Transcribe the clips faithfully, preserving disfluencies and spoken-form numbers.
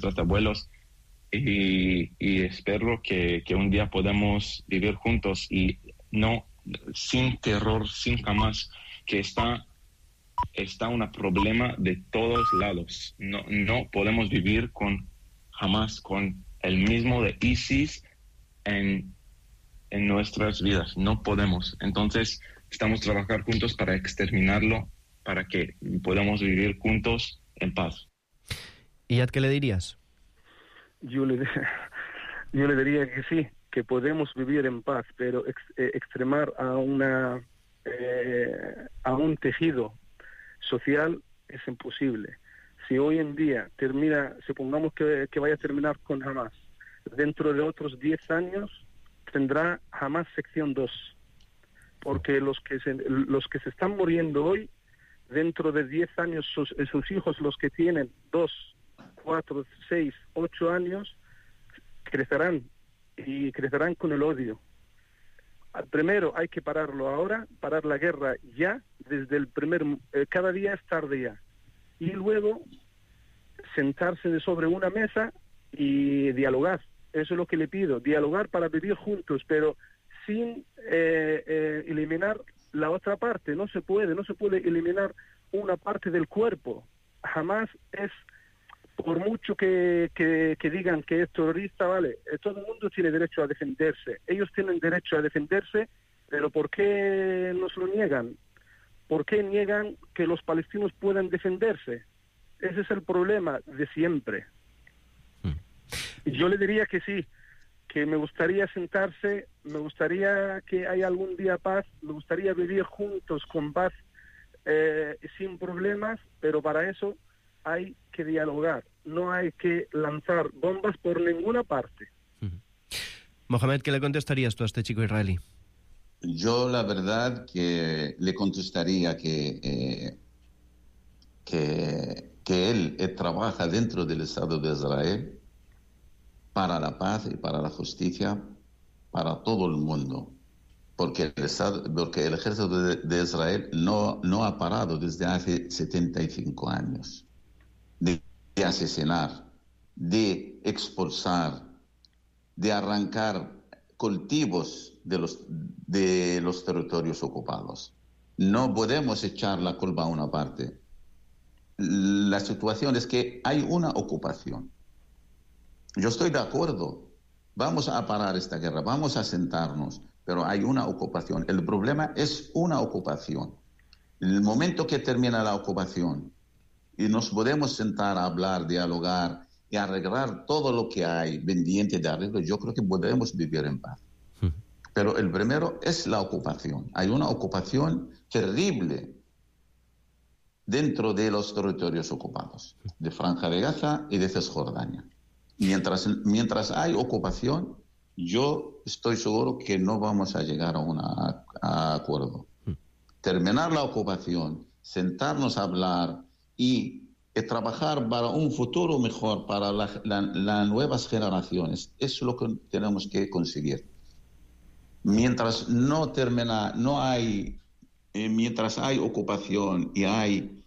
nuestros abuelos, y, y espero que, que un día podamos vivir juntos y no sin terror, sin Hamas, que está, está un problema de todos lados. No, no podemos vivir con Hamas, con el mismo de ISIS en, en nuestras vidas. No podemos. Entonces, estamos trabajando juntos para exterminarlo, para que podamos vivir juntos en paz. ¿Y a qué le dirías? Yo le, yo le diría que sí, que podemos vivir en paz, pero ex, eh, extremar a una eh, a un tejido social es imposible. Si hoy en día termina, supongamos que, que vaya a terminar con Hamas, dentro de otros diez años tendrá Hamas sección dos, porque los que se, los que se están muriendo hoy, dentro de diez años sus, sus hijos, los que tienen dos, cuatro, seis, ocho años, crecerán y crecerán con el odio. Primero hay que pararlo ahora, parar la guerra ya, desde el primer, eh, cada día es tarde ya, y luego sentarse de sobre una mesa y dialogar. Eso es lo que le pido, dialogar para vivir juntos, pero sin eh, eh, eliminar la otra parte. No se puede, no se puede eliminar una parte del cuerpo. Jamás es, por mucho que, que, que digan que es terrorista, vale, todo el mundo tiene derecho a defenderse. Ellos tienen derecho a defenderse, pero ¿por qué nos lo niegan? ¿Por qué niegan que los palestinos puedan defenderse? Ese es el problema de siempre. Y yo le diría que sí, que me gustaría sentarse, me gustaría que haya algún día paz, me gustaría vivir juntos con paz, eh, sin problemas, pero para eso hay que dialogar, no hay que lanzar bombas por ninguna parte. Uh-huh. Mohamed, ¿qué le contestarías tú a este chico israelí? Yo la verdad que le contestaría que, eh, que, que él eh, trabaja dentro del Estado de Israel para la paz y para la justicia para todo el mundo, porque el, Estado, porque el ejército de, de Israel no, no ha parado desde hace setenta y cinco años de, de asesinar, de expulsar, de arrancar cultivos de los, de los territorios ocupados. No podemos echar la culpa a una parte. La situación es que hay una ocupación. Yo estoy de acuerdo, vamos a parar esta guerra, vamos a sentarnos, pero hay una ocupación. El problema es una ocupación. En el momento que termina la ocupación y nos podemos sentar a hablar, dialogar y arreglar todo lo que hay pendiente de arreglo, yo creo que podemos vivir en paz. Pero el primero es la ocupación. Hay una ocupación terrible dentro de los territorios ocupados, de Franja de Gaza y de Cisjordania. Mientras, mientras hay ocupación, yo estoy seguro que no vamos a llegar a un acuerdo. Terminar la ocupación, sentarnos a hablar y, y trabajar para un futuro mejor para las la, la nuevas generaciones, es lo que tenemos que conseguir. Mientras no termina, no hay, eh, mientras hay ocupación y hay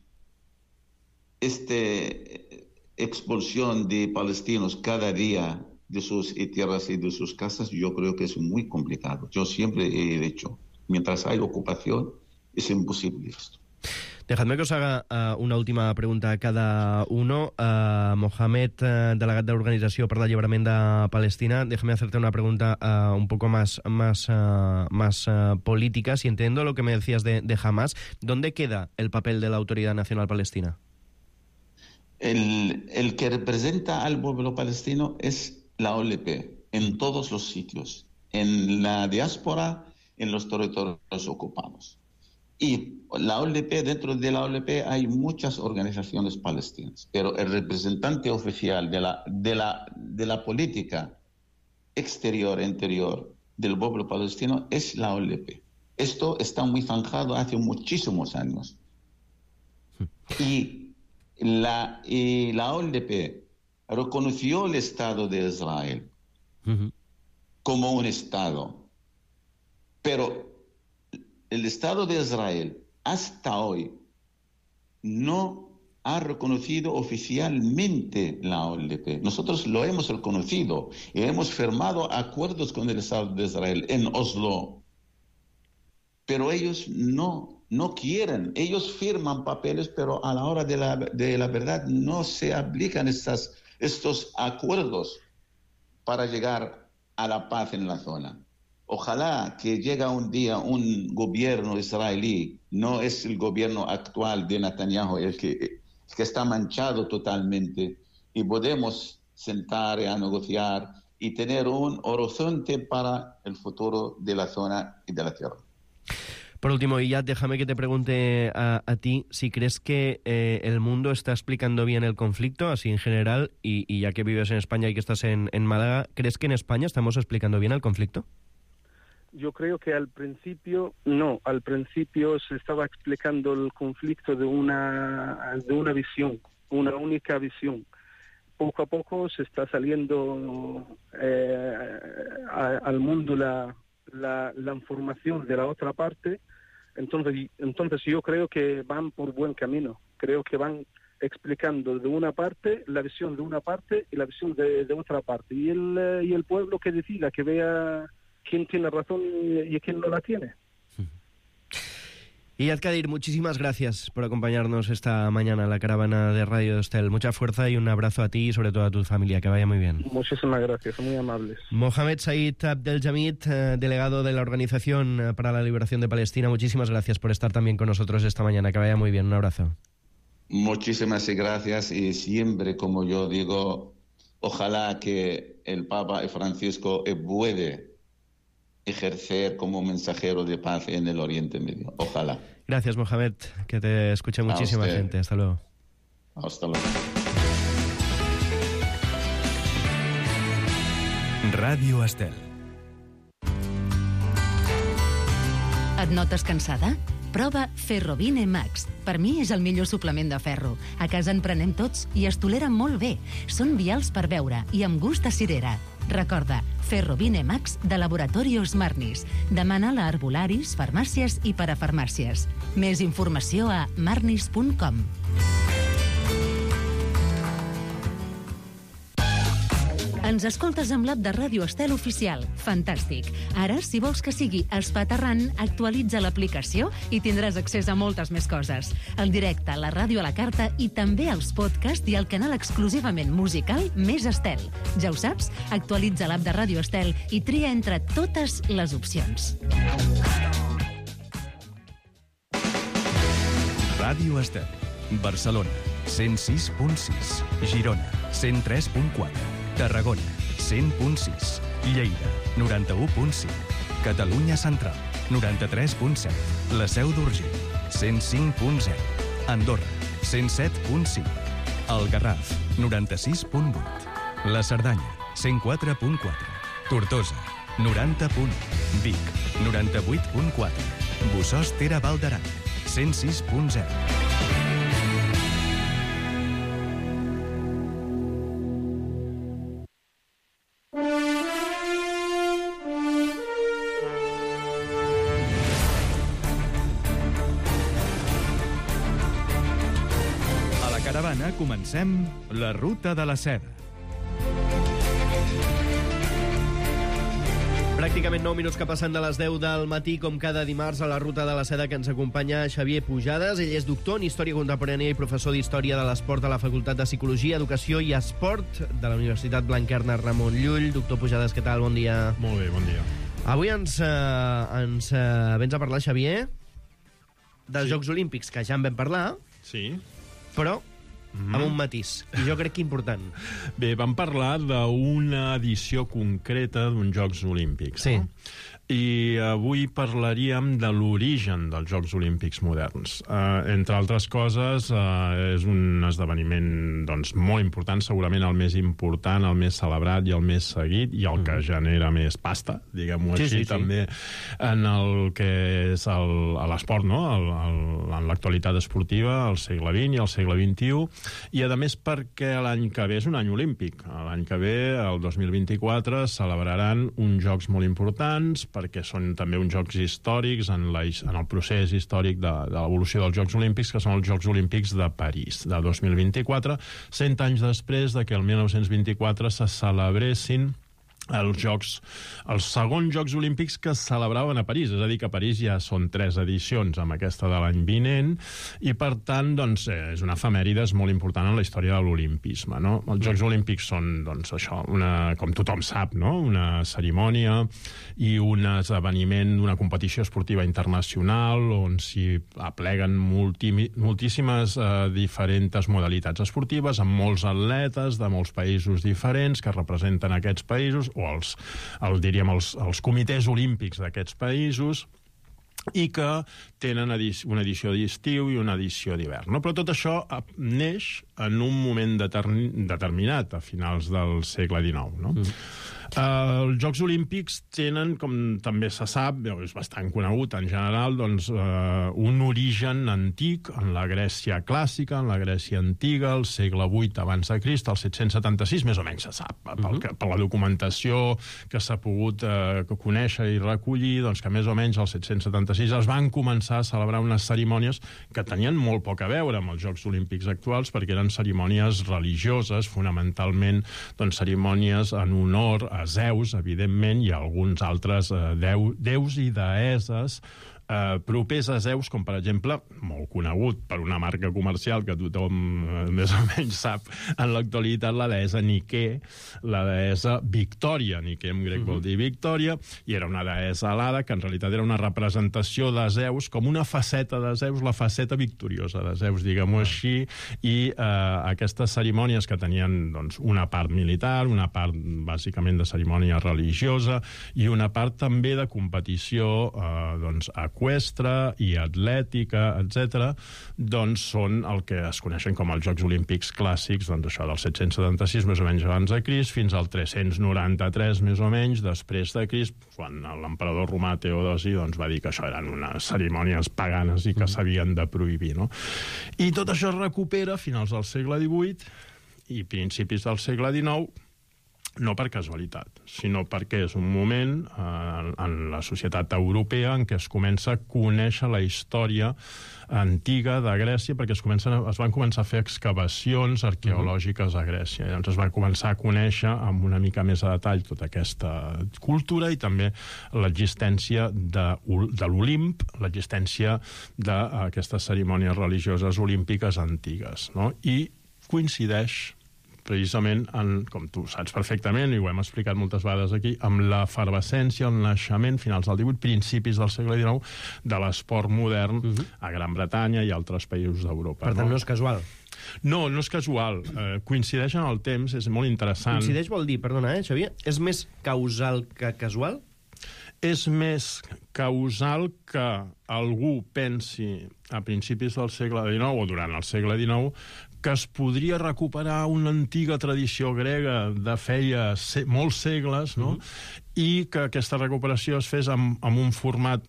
este expulsión de palestinos cada día de sus tierras y de sus casas, yo creo que es muy complicado. Yo siempre he dicho, mientras hay ocupación, es imposible esto. Dejadme que os haga uh, una última pregunta a cada uno. Uh, Mohamed, uh, delegat de l'Organització per l'Alliberament de Palestina, déjame hacerte una pregunta uh, un poco más, más, uh, más uh, política. Si entiendo lo que me decías de, de Hamas, ¿dónde queda el papel de la Autoridad Nacional Palestina? El, el que representa al pueblo palestino es la O L P en todos los sitios, en la diáspora, en los territorios ocupados. Y la O L P, dentro de la O L P hay muchas organizaciones palestinas, pero el representante oficial de la, de la, de la política exterior e interior del pueblo palestino es la O L P. Esto está muy zanjado hace muchísimos años. Y La, y la O L P reconoció el Estado de Israel uh-huh. como un Estado, pero el Estado de Israel hasta hoy no ha reconocido oficialmente la O L P. Nosotros lo hemos reconocido y hemos firmado acuerdos con el Estado de Israel en Oslo. Pero ellos no, no quieren. Ellos firman papeles, pero a la hora de la, de la verdad no se aplican estas, estos acuerdos para llegar a la paz en la zona. Ojalá que llegue un día un gobierno israelí, no es el gobierno actual de Netanyahu el que, que está manchado totalmente, y podemos sentar a negociar y tener un horizonte para el futuro de la zona y de la tierra. Por último, Iyad, déjame que te pregunte a, a ti si crees que eh, el mundo está explicando bien el conflicto, así en general, y, y ya que vives en España y que estás en, en Málaga, ¿crees que en España estamos explicando bien el conflicto? Yo creo que al principio, no, al principio se estaba explicando el conflicto de una, de una visión, una única visión. Poco a poco se está saliendo eh, a, al mundo la, la, la información de la otra parte. Entonces, entonces yo creo que van por buen camino. Creo que van explicando de una parte, la visión de una parte y la visión de, de otra parte. Y el, y el pueblo que decida, que vea quién tiene razón y, y quién no la tiene. Iyad Kadir, muchísimas gracias por acompañarnos esta mañana en la caravana de Radio Estel. Mucha fuerza y un abrazo a ti y sobre todo a tu familia. Que vaya muy bien. Muchísimas gracias, muy amables. Mohamed Said Abdeljamid, eh, delegado de la Organización para la Liberación de Palestina, muchísimas gracias por estar también con nosotros esta mañana. Que vaya muy bien. Un abrazo. Muchísimas gracias, y siempre, como yo digo, ojalá que el Papa Francisco puede ejercer como mensajero de paz en el Oriente Medio. Ojalá. Gracias, Mohamed, que te escuche muchísima gente. Hasta luego. Hasta luego. Ràdio Estel. Et notes cansada? Prova Ferrovine Max. Per mi és el millor suplement de ferro. A casa en prenem tots i es tolera molt bé. Són vials per beure i amb gust a cirera. Recorda, Ferrovine Max de Laboratorios Marnis. Demana-la a arbolaris, farmàcies i parafarmàcies. Més informació a marnis punt com. Ens escoltes amb l'app de Ràdio Estel oficial. Fantàstic. Ara, si vols que sigui espaterrant, actualitza l'aplicació i tindràs accés a moltes més coses. El directe, la ràdio a la carta i també els podcasts i el canal exclusivament musical Més Estel. Ja ho saps? Actualitza l'app de Ràdio Estel i tria entre totes les opcions. Ràdio Estel. Barcelona, cent sis punt sis. Girona, cent tres punt quatre. Tarragona, cent punt sis. Lleida, noranta-u punt cinc. Catalunya Central, noranta-tres punt set. La Seu d'Urgell, cent cinc punt zero. Andorra, cent set punt cinc. El Garraf, noranta-sis punt vuit. La Cerdanya, cent quatre punt quatre. Tortosa, noranta punt u. Vic, noranta-vuit punt quatre. Bossòst Tere Val d'Aran, cent sis punt zero. Comencem la Ruta de la Seda. Pràcticament nou minuts que passen de les deu del matí, com cada dimarts, a la Ruta de la Seda, que ens acompanya Xavier Pujades. Ell és doctor en Història Contemporània i professor d'Història de l'Esport a la Facultat de Psicologia, Educació i Esport de la Universitat Blanquerna Ramon Llull. Doctor Pujades, què tal? Bon dia. Molt bé, bon dia. Avui ens, eh, ens eh, vens a parlar, Xavier, dels sí. Jocs Olímpics, que ja en vam parlar, sí. però Mm. amb un matís, i jo crec que important. Bé, vam parlar d'una edició concreta d'uns Jocs Olímpics. Sí. No? I avui parlaríem de l'origen dels Jocs Olímpics moderns. Uh, entre altres coses, uh, és un esdeveniment doncs, molt important, segurament el més important, el més celebrat i el més seguit, i el mm. que genera més pasta, diguem-ho sí, així, sí, també sí. en el que és l'esport, no? el, el, en l'actualitat esportiva, al segle vint i al segle vint-i-u, i a més perquè l'any que ve és un any olímpic. L'any que ve, el dos mil vint-i-quatre, celebraran uns Jocs molt importants, perquè són també uns Jocs històrics en, la, en el procés històric de, de l'evolució dels Jocs Olímpics, que són els Jocs Olímpics de París, de dos mil vint-i-quatre, cent anys després de que el mil nou-cents vint-i-quatre se celebressin els Jocs, els segons Jocs Olímpics que es celebraven a París, és a dir, que a París ja són tres edicions amb aquesta de l'any vinent, i per tant, doncs, és una efemèride molt important en la història de l'olimpisme, no? Els Jocs Olímpics són, doncs, això, una, com tothom sap, no? Una cerimònia i un esdeveniment d'una competició esportiva internacional on s'hi apleguen multi, moltíssimes eh, diferents modalitats esportives amb molts atletes de molts països diferents que representen aquests països, o els, el, diríem, els, els comitès olímpics d'aquests països, i que tenen edició, una edició d'estiu i una edició d'hivern. No? Però tot això neix en un moment determin, determinat, a finals del segle dinou. No? Mm. Uh, els Jocs Olímpics tenen, com també se sap, és bastant conegut en general, doncs, uh, un origen antic en la Grècia clàssica, en la Grècia antiga, al segle vuit abans de Crist, al set-cents setanta-sis, més o menys se sap, pel que, per la documentació que s'ha pogut uh, conèixer i recollir, doncs que més o menys al set-cents setanta-sis es van començar a celebrar unes cerimònies que tenien molt poc a veure amb els Jocs Olímpics actuals, perquè eren cerimònies religioses, fonamentalment, doncs, cerimònies en honor a Zeus, evidentment, i alguns altres eh, deu, déus i deeses eh, propers a Zeus, com per exemple, molt conegut per una marca comercial que tothom eh, més o menys sap en l'actualitat, la deessa Nike, la deessa Victòria. Nike en grec vol dir Victòria, i era una deessa alada que en realitat era una representació de Zeus, com una faceta de Zeus, la faceta victoriosa de Zeus, diguem-ho així, i eh, aquestes cerimònies que tenien, doncs, una part militar, una part bàsicament de cerimònia religiosa i una part també de competició eh, doncs, eqüestre i atlètica, etcètera, doncs són el que es coneixen com els Jocs Olímpics clàssics, doncs això del set-cents setanta-sis més o menys abans de Crist fins al tres-cents noranta-tres més o menys després de Crist, quan l'emperador romà Teodosi doncs, va dir que això eren unes cerimònies paganes i que s'havien de prohibir. No? I tot això es recupera a finals del segle divuit i principis del segle dinou, no per casualitat, sinó perquè és un moment eh, en la societat europea en què es comença a conèixer la història antiga de Grècia, perquè es, comencen, es van començar a fer excavacions arqueològiques a Grècia. Llavors es va començar a conèixer amb una mica més de detall tota aquesta cultura i també l'existència de, de l'Olimp, l'existència d'aquestes cerimònies religioses olímpiques antigues. No? I coincideix precisament, en, com tu saps perfectament, i ho hem explicat moltes vegades aquí, amb l'efervescència, el naixement, finals del divuit, principis del segle dinou, de l'esport modern uh-huh. a Gran Bretanya i altres països d'Europa. Per tant, no? no és casual. No, no és casual. Eh, coincideix en el temps, és molt interessant. Coincideix vol dir, perdona, eh, Xavier, és més causal que casual? És més causal que algú pensi a principis del segle dinou o durant el segle dinou que es podria recuperar una antiga tradició grega de feia se molts segles, no? Mm-hmm. I que aquesta recuperació es fes amb, amb un format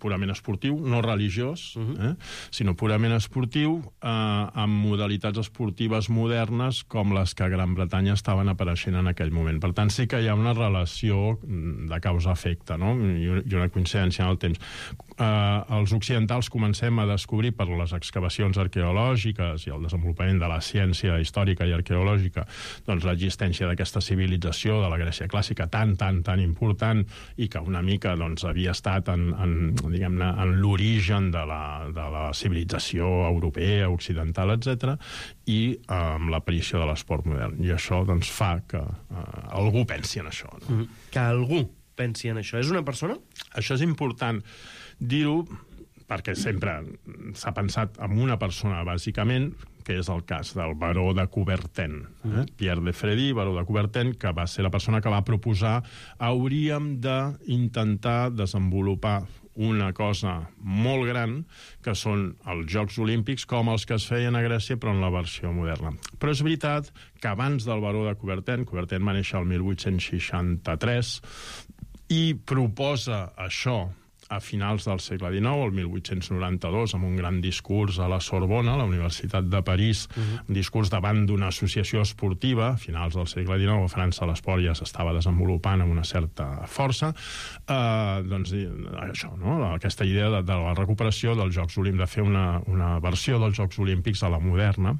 purament esportiu, no religiós, mm-hmm. eh? sinó purament esportiu, eh, amb modalitats esportives modernes com les que a Gran Bretanya estaven apareixent en aquell moment. Per tant, sí que hi ha una relació de causa-efecte, no? I una coincidència en el temps. Eh, els occidentals comencem a descobrir per les excavacions arqueològiques i el desenvolupament de la ciència històrica i arqueològica doncs l'existència d'aquesta civilització de la Grècia clàssica tan, tan, tan important i que una mica doncs, havia estat en, en, diguem-ne, en l'origen de la, de la civilització europea, occidental, etcètera, i eh, amb l'aparició de l'esport modern. I això doncs, fa que eh, algú pensi en això. No? Mm-hmm. Que algú pensi en això. És una persona? Això és important dir-ho perquè sempre s'ha pensat en una persona, bàsicament, que és el cas del baró de Coubertin. Eh? Pierre de Freddy, baró de Coubertin, que va ser la persona que va proposar hauríem d'intentar desenvolupar una cosa molt gran, que són els Jocs Olímpics, com els que es feien a Grècia, però en la versió moderna. Però és veritat que abans del baró de Coubertin, Coubertin va néixer el mil vuit-cents seixanta-tres, i proposa això a finals del segle dinou, el mil vuit-cents noranta-dos, amb un gran discurs a la Sorbona, a la Universitat de París, uh-huh. un discurs davant d'una associació esportiva. A finals del segle dinou, a França l'esport ja s'estava desenvolupant amb una certa força. Eh, doncs, això, no? Aquesta idea de, de la recuperació dels Jocs Olímpics, de fer una, una versió dels Jocs Olímpics a la moderna,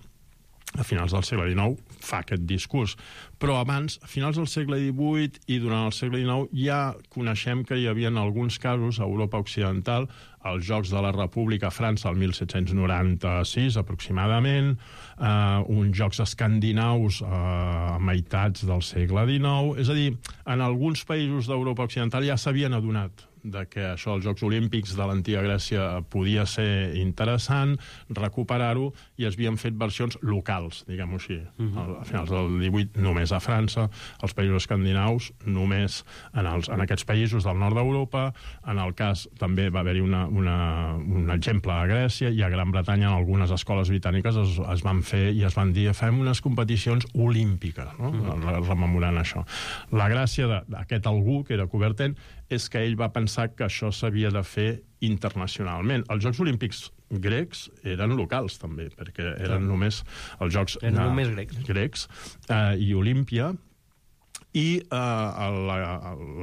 a finals del segle dinou, fa aquest discurs. Però abans, a finals del segle divuit i durant el segle dinou, ja coneixem que hi havia alguns casos a Europa Occidental, als Jocs de la República a França el mil set-cents noranta-sis aproximadament, eh, uns Jocs escandinaus eh, a meitats del segle dinou. És a dir, en alguns països d'Europa Occidental ja s'havien adonat de que això, els Jocs Olímpics de l'antiga Grècia, podia ser interessant, recuperar-ho, i es havien fet versions locals, diguem-ho així. Uh-huh. A finals del divuit, només a França, els països escandinaus, només en, els, en aquests països del nord d'Europa. En el cas, també va haver-hi una, una, un exemple a Grècia, i a Gran Bretanya, en algunes escoles britàniques, es, es van fer i es van dir, fem unes competicions olímpiques, no? Uh-huh. Rememorant això. La gràcia d'aquest algú, que era Coubertin, és que ell va pensar que això s'havia de fer internacionalment. Els Jocs Olímpics grecs eren locals, també, perquè eren sí. només els Jocs eren uh, només grecs, grecs uh, i Olímpia, i uh, la,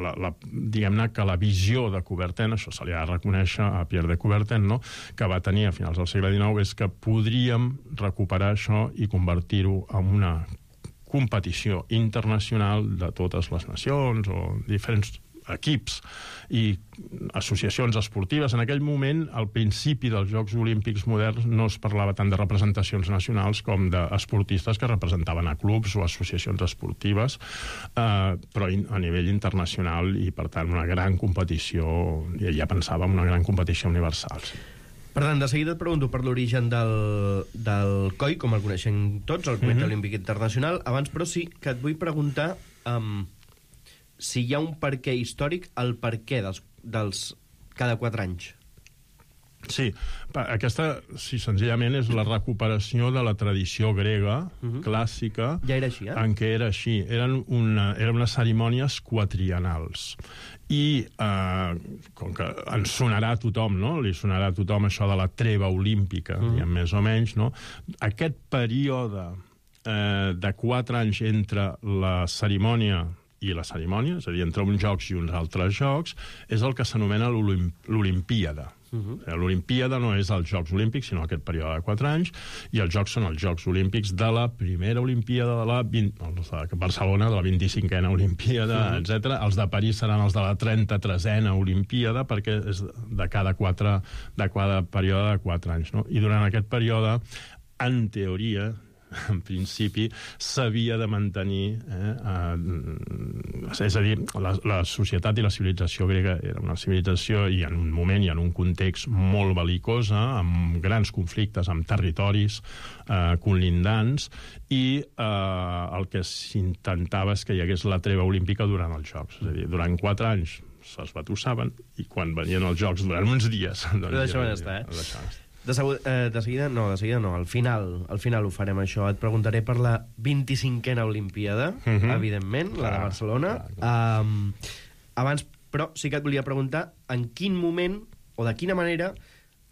la, la, diguem-ne que la visió de Coubertin, això se li ha de reconèixer a Pierre de Coubertin, no? Que va tenir a finals del segle dinou, és que podríem recuperar això i convertir-ho en una competició internacional de totes les nacions o diferents equips i associacions esportives. En aquell moment, al principi dels Jocs Olímpics moderns, no es parlava tant de representacions nacionals com d'esportistes que representaven a clubs o associacions esportives, eh, però a nivell internacional, i per tant una gran competició, ja pensava en una gran competició universal. Sí. Per tant, de seguida et pregunto per l'origen del, del C O I, com el coneixem tots, el Comitè mm-hmm. Olímpic Internacional. Abans, però, sí que et vull preguntar um, si hi ha un perquè històric, el perquè dels, dels cada quatre anys. Sí, aquesta, sí, senzillament és la recuperació de la tradició grega uh-huh. clàssica. Ja era així, eh? En què era així. Eren, una, eren unes cerimònies quatrienals. I, eh, com que ens sonarà a tothom, no? Li sonarà a tothom això de la treva olímpica, uh-huh. diguem, més o menys, no? Aquest període eh, de quatre anys entre la cerimònia i la cerimònia, és a dir, entre uns jocs i uns altres jocs, és el que s'anomena l'Olimpíada. Uh-huh. L'Olimpíada no és els Jocs Olímpics, sinó aquest període de quatre anys, i els Jocs són els Jocs Olímpics de la primera Olimpíada de la vint, els de Barcelona, de la vint-i-cinquena Olimpíada, uh-huh. etcètera. Els de París seran els de la trenta-tresena Olimpíada, perquè és de cada, quatre, de cada període de quatre anys. No? I durant aquest període, en teoria, en principi, s'havia de mantenir, eh, eh, és a dir, la, la societat i la civilització grega era una civilització i en un moment i en un context molt bel·licosa, amb grans conflictes, amb territoris eh, conlindants, i eh, el que s'intentava és que hi hagués la treva olímpica durant els Jocs. És a dir, durant quatre anys s'esbatussaven, i quan venien els Jocs durant uns dies... Doncs Però deixaven estar, eh? Deixaven estar. De, segur, eh, de seguida, no, de seguida no, al final, al final ho farem això. Et preguntaré per la vint-i-cinquena Olimpíada, uh-huh. evidentment, clar, la de Barcelona. Clar, clar. Um, abans, però, sí que et volia preguntar en quin moment, o de quina manera,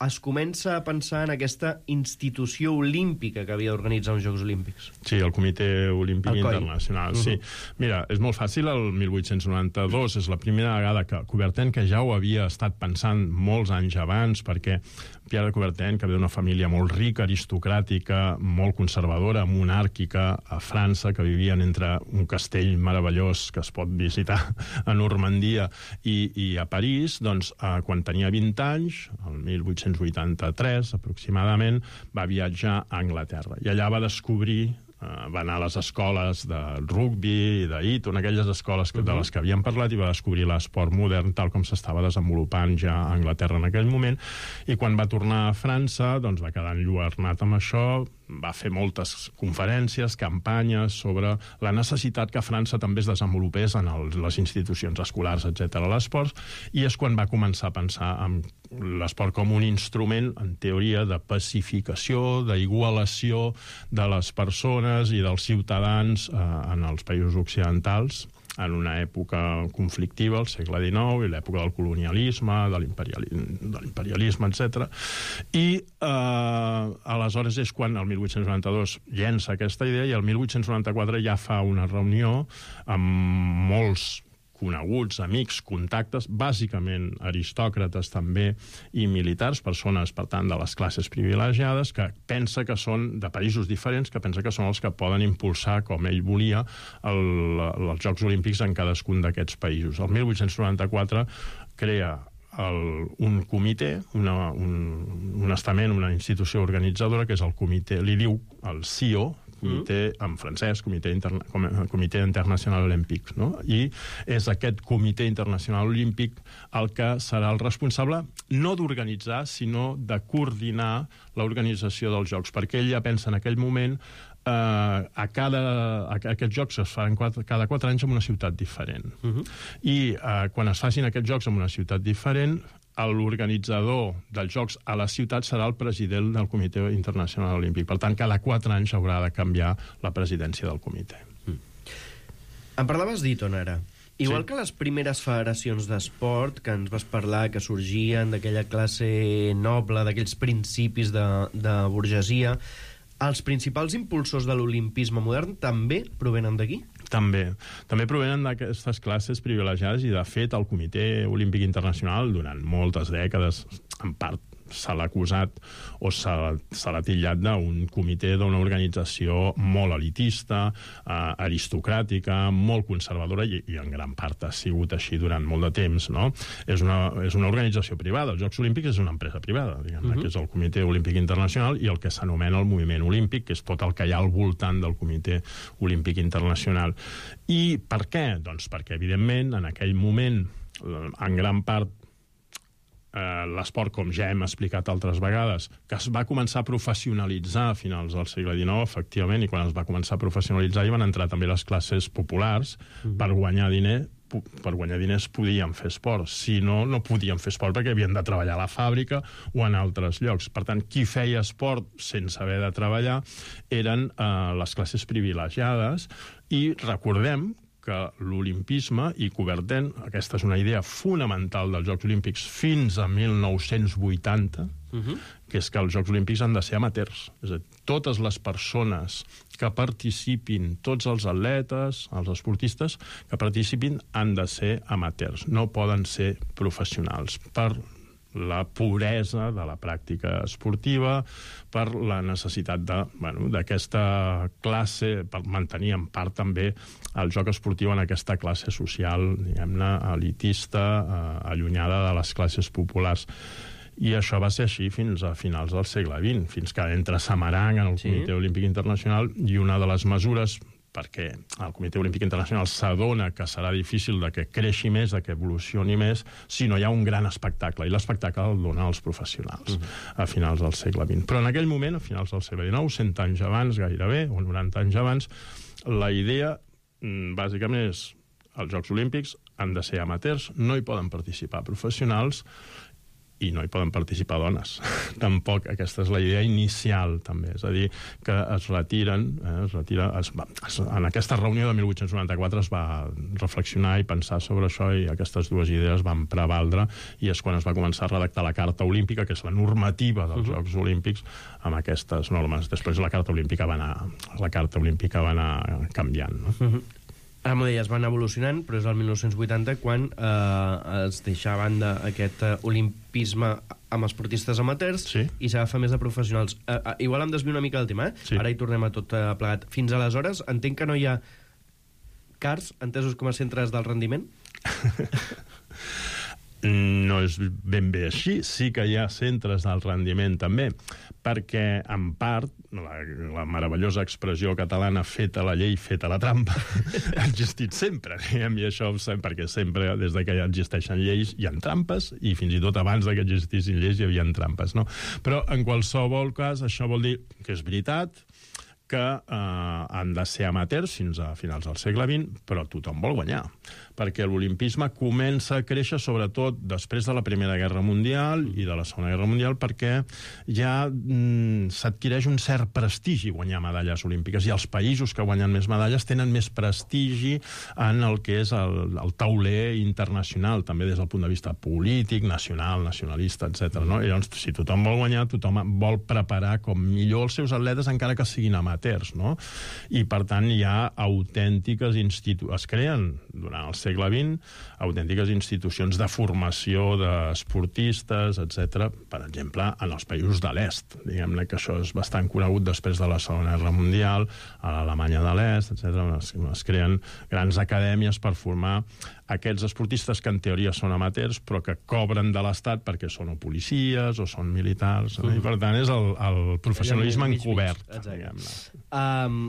es comença a pensar en aquesta institució olímpica que havia d'organitzar uns Jocs Olímpics. Sí, el Comitè Olímpic Internacional, uh-huh. sí. Mira, és molt fàcil, el mil vuit-cents noranta-dos és la primera vegada que Coubertin, que ja ho havia estat pensant molts anys abans, perquè Pierre de Coubertin, que ve d'una família molt rica, aristocràtica, molt conservadora, monàrquica, a França, que vivien entre un castell meravellós que es pot visitar a Normandia i, i a París, doncs, eh, quan tenia vint anys, el mil vuit-cents vuitanta-tres, aproximadament, va viatjar a Anglaterra. I allà va descobrir, eh, va anar a les escoles de rugby i d'Eton, aquelles escoles que, de les que havíem parlat, i va descobrir l'esport modern tal com s'estava desenvolupant ja a Anglaterra en aquell moment. I quan va tornar a França, doncs va quedar enlluernat amb això, va fer moltes conferències, campanyes sobre la necessitat que a França també es desenvolupés en el, les institucions escolars, etcètera, l'esport, i és quan va començar a pensar en l'esport com un instrument, en teoria, de pacificació, d'igualació de les persones i dels ciutadans eh, en els països occidentals, en una època conflictiva, al segle dinou, i l'època del colonialisme, de l'imperialisme, etcètera. I eh, aleshores és quan el mil vuit-cents noranta-dos llença aquesta idea i el mil vuit-cents noranta-quatre ja fa una reunió amb molts coneguts, amics, contactes, bàsicament aristòcrates també i militars, persones, per tant, de les classes privilegiades, que pensa que són de països diferents, que pensa que són els que poden impulsar, com ell volia, el, els Jocs Olímpics en cadascun d'aquests països. El mil vuit-cents noranta-quatre crea el, un comitè, una, un, un estament, una institució organitzadora, que és el comitè, li diu el C I O, comitè en francès, Comitè, Interna comitè Internacional Olímpic, no? I és aquest Comitè Internacional Olímpic el que serà el responsable no d'organitzar, sinó de coordinar l'organització dels Jocs, perquè ell ja pensa en aquell moment eh, a cada, a, aquests Jocs es faran quatre, cada quatre anys en una ciutat diferent. Uh -huh. I eh, quan es facin aquests Jocs en una ciutat diferent, l'organitzador dels Jocs a la ciutat serà el president del Comitè Internacional Olímpic. Per tant, cada quatre anys haurà de canviar la presidència del comitè. Mm. Em parlaves d'Eton ara. Igual sí. que les primeres federacions d'esport que ens vas parlar, que sorgien d'aquella classe noble, d'aquells principis de, de burgesia, els principals impulsors de l'olimpisme modern també provenen d'aquí? També. També provenen d'aquestes classes privilegiades i, de fet, el Comitè Olímpic Internacional, durant moltes dècades, en part se l'ha acusat o se l'ha titllat d'un comitè d'una organització molt elitista, eh, aristocràtica, molt conservadora i, i en gran part ha sigut així durant molt de temps, no? És una, és una organització privada. Els Jocs Olímpics és una empresa privada, diguem-ne, uh-huh. que és el Comitè Olímpic Internacional i el que s'anomena el moviment olímpic, que és tot el que hi ha al voltant del Comitè Olímpic Internacional. I per què? Doncs perquè, evidentment, en aquell moment, en gran part, Eh, l'esport, com ja hem explicat altres vegades, que es va començar a professionalitzar a finals del segle dinou, efectivament, i quan es va començar a professionalitzar hi van entrar també les classes populars. Mm. Per guanyar diner, per guanyar diners podien fer esport. Si no, no podien fer esport perquè havien de treballar a la fàbrica o en altres llocs. Per tant, qui feia esport sense haver de treballar eren eh, les classes privilegiades, i recordem que l'olimpisme, i Coubertin, aquesta és una idea fonamental dels Jocs Olímpics fins a mil nou-cents vuitanta, uh-huh. que és que els Jocs Olímpics han de ser amateurs. És a dir, totes les persones que participin, tots els atletes, els esportistes que participin, han de ser amateurs, no poden ser professionals, per la puresa de la pràctica esportiva, per la necessitat de, bueno, d'aquesta classe, per mantenir en part també el joc esportiu en aquesta classe social, diguem-ne, elitista, eh, allunyada de les classes populars. I això va ser així fins a finals del segle vint, fins que entra Samarang en el sí. Comitè Olímpic Internacional, i una de les mesures, perquè el Comitè Olímpic Internacional s'adona que serà difícil de que creixi més, de que evolucioni més, si no hi ha un gran espectacle, i l'espectacle el donen els professionals uh-huh. a finals del segle vint. Però en aquell moment, a finals del segle dinou, cent anys abans gairebé, o noranta anys abans, la idea bàsicament és els Jocs Olímpics han de ser amateurs, no hi poden participar professionals i no hi poden participar dones. Tampoc aquesta és la idea inicial, també. És a dir, que es retiren... Eh, es retira, es va, es, en aquesta reunió de mil vuit-cents noranta-quatre es va reflexionar i pensar sobre això, i aquestes dues idees van prevaldre, i és quan es va començar a redactar la Carta Olímpica, que és la normativa dels uh-huh. Jocs Olímpics, amb aquestes normes. Després la Carta Olímpica va anar, la Carta Olímpica va anar canviant, no? Uh-huh. Ara m'ho deies, van evolucionant, però és el mil nou-cents vuitanta quan eh, es deixa a banda aquest eh, olimpisme amb esportistes amateurs sí. i s'agafa més de professionals. Eh, eh, igual em desvio una mica del tema, eh? Sí. Ara hi tornem a tot eh, plegat. Fins aleshores, entenc que no hi ha cars entesos com a centres del rendiment? No és ben bé així. Sí que hi ha centres del rendiment, també, perquè, en part, la, la meravellosa expressió catalana feta la llei, feta la trampa, ha existit sempre, diguem, i això perquè sempre, des de que ja existeixen lleis, hi ha trampes, i fins i tot abans que existissin lleis hi havia trampes, no? Però, en qualsevol cas, això vol dir que és veritat que eh, han de ser amateurs fins a finals del segle vint, però tothom vol guanyar, perquè l'olimpisme comença a créixer sobretot després de la Primera Guerra Mundial i de la Segona Guerra Mundial, perquè ja mm, s'adquireix un cert prestigi guanyar medalles olímpiques, i els països que guanyen més medalles tenen més prestigi en el que és el, el tauler internacional, també des del punt de vista polític, nacional, nacionalista, etcètera. No? I llavors, si tothom vol guanyar, tothom vol preparar com millor els seus atletes, encara que siguin amateurs, no? I, per tant, hi ha autèntiques institucions, es creen durant el segle vint, autèntiques institucions de formació d'esportistes, etcètera. Per exemple, en els països de l'est. Diguem-ne que això és bastant conegut després de la Segona Guerra Mundial, a l'Alemanya de l'est, etcètera. Es, es creen grans acadèmies per formar aquests esportistes que en teoria són amateurs, però que cobren de l'Estat perquè són o policies o són militars. Mm. I, per tant, és el, el professionalisme encobert. Diguem-ne. Um,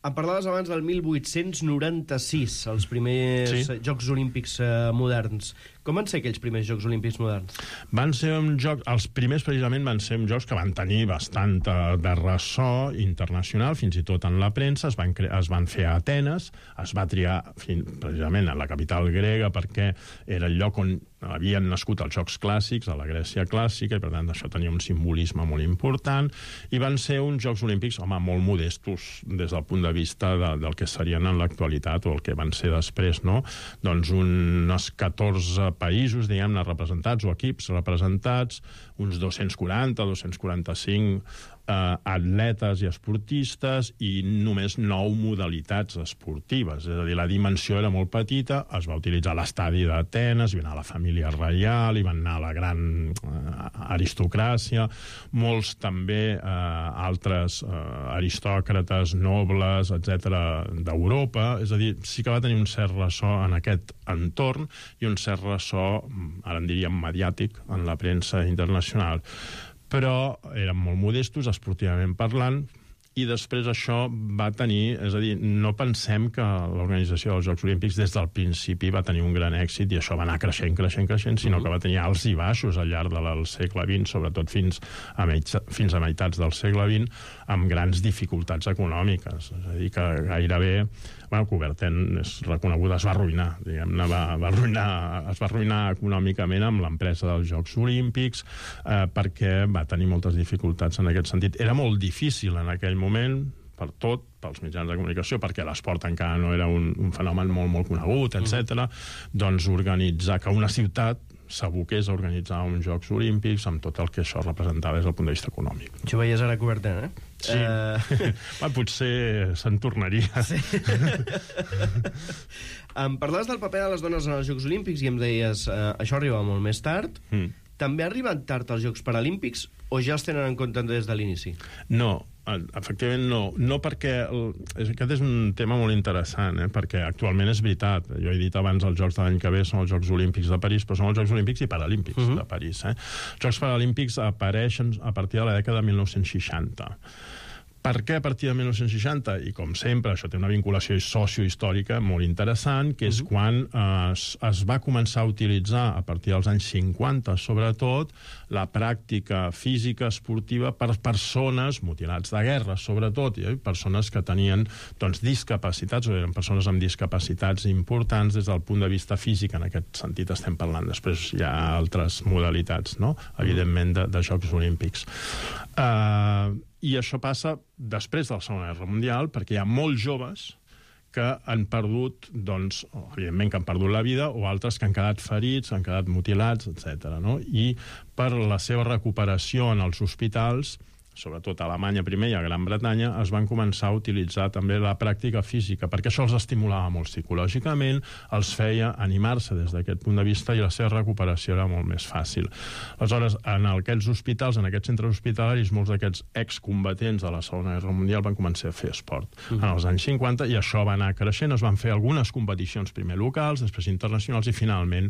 em parlaves abans del mil vuit-cents noranta-sis, els primers sí. Jocs Olímpics uh, moderns. Com van ser aquells primers Jocs Olímpics moderns? Van ser un joc, els primers precisament van ser uns jocs que van tenir bastant de ressò internacional, fins i tot en la premsa, es van, es van fer a Atenes, es va triar fins, precisament a la capital grega, perquè era el lloc on havien nascut els Jocs Clàssics, a la Grècia clàssica, i per tant això tenia un simbolisme molt important, i van ser uns Jocs Olímpics, home, molt modestos des del punt de vista de, del que serien en l'actualitat o el que van ser després, no? Doncs uns catorze països, diguem-ne, representats, o equips representats, uns dos-cents quaranta, dos-cents quaranta-cinc eh, atletes i esportistes, i només nou modalitats esportives. És a dir, la dimensió era molt petita, es va utilitzar l'estadi d'Atenes, hi va anar la família reial, hi van anar la gran eh, aristocràcia, molts també eh, altres eh, aristòcrates, nobles, etcètera, d'Europa. És a dir, sí que va tenir un cert ressò en aquest entorn i un cert ressò, ara en diríem mediàtic, en la premsa internacional. Però eren molt modestos, esportivament parlant, i després això va tenir... És a dir, no pensem que l'organització dels Jocs Olímpics des del principi va tenir un gran èxit i això va anar creixent, creixent, creixent, sinó que va tenir alts i baixos al llarg del segle vint, sobretot fins a, mig, fins a meitats del segle vint, amb grans dificultats econòmiques. És a dir, que gairebé... Bueno, Coubertin és reconegut, es va arruïnar, diguem-ne, va, va arruïnar, es va arruïnar econòmicament amb l'empresa dels Jocs Olímpics, eh, perquè va tenir moltes dificultats en aquest sentit. Era molt difícil en aquell moment, per tot, pels mitjans de comunicació, perquè l'esport encara no era un, un fenomen molt, molt conegut, etcètera. Mm. Doncs organitzar que una ciutat s'aboqués a organitzar uns Jocs Olímpics amb tot el que això representava des del punt de vista econòmic. Això ho veies ara Coubertin, eh? Sí. Uh... Va, potser se'n tornaria. Sí. Em parlaves del paper de les dones en els Jocs Olímpics i em deies uh, això arriba molt més tard. Mm. També arriben tard els Jocs Paralímpics o ja els tenen en compte des de l'inici? No, efectivament no. No perquè... El, aquest és un tema molt interessant, eh? Perquè actualment és veritat. Jo he dit abans els Jocs de l'any que ve són els Jocs Olímpics de París, però són els Jocs Olímpics i Paralímpics uh-huh. de París. Eh? Els Jocs Paralímpics apareixen a partir de la dècada de mil nou-cents seixanta. Per què a partir de mil nou-cents seixanta? I com sempre, això té una vinculació sociohistòrica molt interessant, que és uh-huh. quan eh, es, es va començar a utilitzar, a partir dels anys cinquanta, sobretot, la pràctica física esportiva per persones mutilats de guerra, sobretot, i persones que tenien doncs, discapacitats, o eren persones amb discapacitats importants des del punt de vista físic, en aquest sentit estem parlant. Després hi ha altres modalitats, no? Evidentment, de, de Jocs Olímpics. Eh... Uh, I això passa després de la Segona Guerra Mundial, perquè hi ha molts joves que han perdut, doncs, evidentment que han perdut la vida, o altres que han quedat ferits, han quedat mutilats, etcètera. No? I per la seva recuperació en els hospitals, sobretot a Alemanya primer i a Gran Bretanya, es van començar a utilitzar també la pràctica física, perquè això els estimulava molt psicològicament, els feia animar-se des d'aquest punt de vista i la seva recuperació era molt més fàcil. Aleshores, en aquests hospitals, en aquests centres hospitalaris, molts d'aquests excombatents de la Segona Guerra Mundial van començar a fer esport mm. en els anys cinquanta, i això va anar creixent, es van fer algunes competicions primer locals, després internacionals, i finalment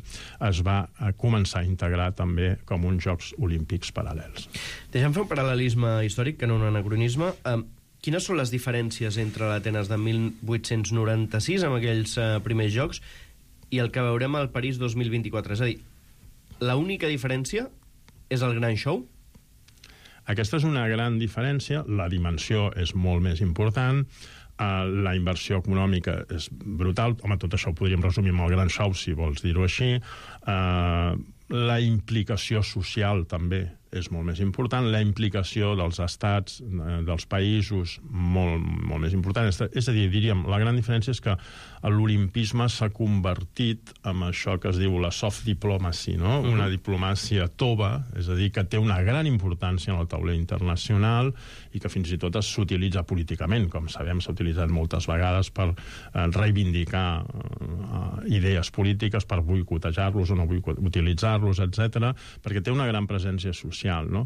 es va començar a integrar també com uns Jocs Olímpics paral·lels. Deixa'm fer un paral·lelisme històric, que no un anacronisme. Um, quines són les diferències entre l'Atenes de mil vuit-cents noranta-sis, amb aquells uh, primers jocs, i el que veurem al París dos mil vint-i-quatre? És a dir, l'única diferència és el gran show? Aquesta és una gran diferència, la dimensió és molt més important, Uh, la inversió econòmica és brutal. Home, tot això ho podríem resumir amb el gran xou, si vols dir-ho així. Uh, la implicació social també és molt més important, la implicació dels estats, uh, dels països, molt, molt més important. És a dir, diríem, la gran diferència és que l'olimpisme s'ha convertit en això que es diu la soft diplomacy, no? Uh-huh. Una diplomàcia tova, és a dir, que té una gran importància en el tauler internacional i que fins i tot s'utilitza políticament, com sabem, s'ha utilitzat moltes vegades per eh, reivindicar eh, idees polítiques, per boicotejar-los o no utilitzar-los, etcètera, perquè té una gran presència social, no?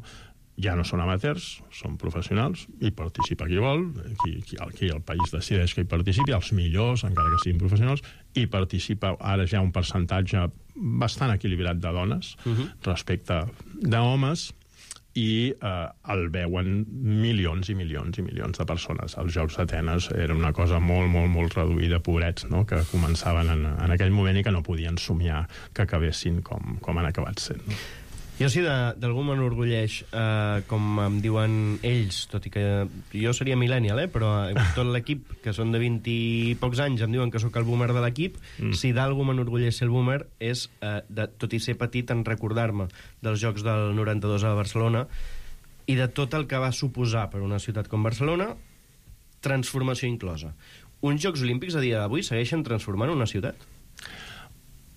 Ja no són amateurs, són professionals, i participa qui vol, qui, qui, qui el país decideix que hi participi, els millors, encara que siguin professionals, i participa ara ja un percentatge bastant equilibrat de dones uh-huh. respecte d'homes, i eh, el veuen milions i milions i milions de persones. Els Jocs d'Atenes era una cosa molt, molt, molt reduïda, pobrets, no?, que començaven en, en aquell moment i que no podien somiar que acabessin com, com han acabat sent. No? Jo sí, d'algú m'enorgulleix, eh, com em diuen ells, tot i que jo seria millennial, eh, però tot l'equip, que són de vint i pocs anys, em diuen que sóc el boomer de l'equip, mm. si d'algú m'enorgulleix ser el boomer és, eh, de, tot i ser petit, en recordar-me dels Jocs del noranta-dos a Barcelona i de tot el que va suposar per una ciutat com Barcelona, transformació inclosa. Uns Jocs Olímpics a dia d'avui segueixen transformant una ciutat?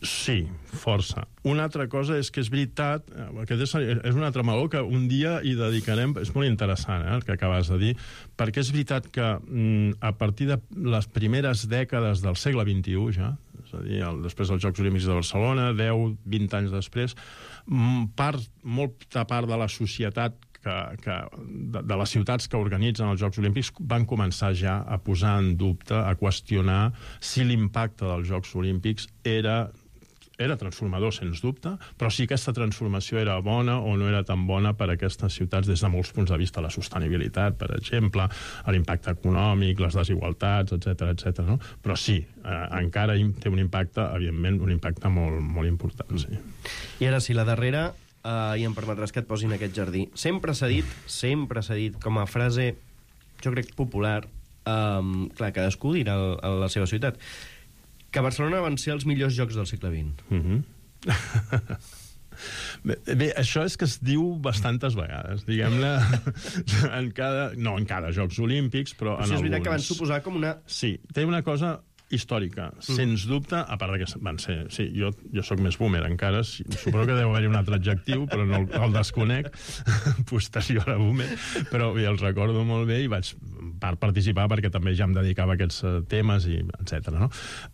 Sí, força. Una altra cosa és que és veritat, aquest és, és un altre meló que un dia hi dedicarem, és molt interessant eh, el que acabes de dir, perquè és veritat que mm, a partir de les primeres dècades del segle vint-i-u ja, és a dir, el, després dels Jocs Olímpics de Barcelona, deu, vint anys després, part, molta part de la societat que, que, de, de les ciutats que organitzen els Jocs Olímpics van començar ja a posar en dubte, a qüestionar si l'impacte dels Jocs Olímpics era era transformador, sens dubte, però si aquesta transformació era bona o no era tan bona per a aquestes ciutats des de molts punts de vista, la sostenibilitat, per exemple, l'impacte econòmic, les desigualtats, etcètera, etcètera, no? Però sí, eh, encara té un impacte, evidentment, un impacte molt, molt important, sí. I ara sí, la darrera, eh, i em permetràs que et posin aquest jardí. Sempre s'ha dit, sempre s'ha dit com a frase, jo crec, popular, eh, clar, cadascú dirà a la seva ciutat, que Barcelona van ser els millors jocs del segle vint. Mm-hmm. bé, bé, això és que es diu bastantes vegades, diguem-ne, en cada... No en cada Jocs Olímpics, però, però en sí, és alguns. És veritat que van suposar com una... Sí, té una cosa històrica, mm. sens dubte, a part que van ser... Sí, jo, jo sóc més boomer encara, sí, suposo que deu haver-hi un altre adjectiu, però no el, el desconec, posterior a boomer, però bé, el recordo molt bé i vaig per participar perquè també ja em dedicava a aquests temes, i etcètera. No?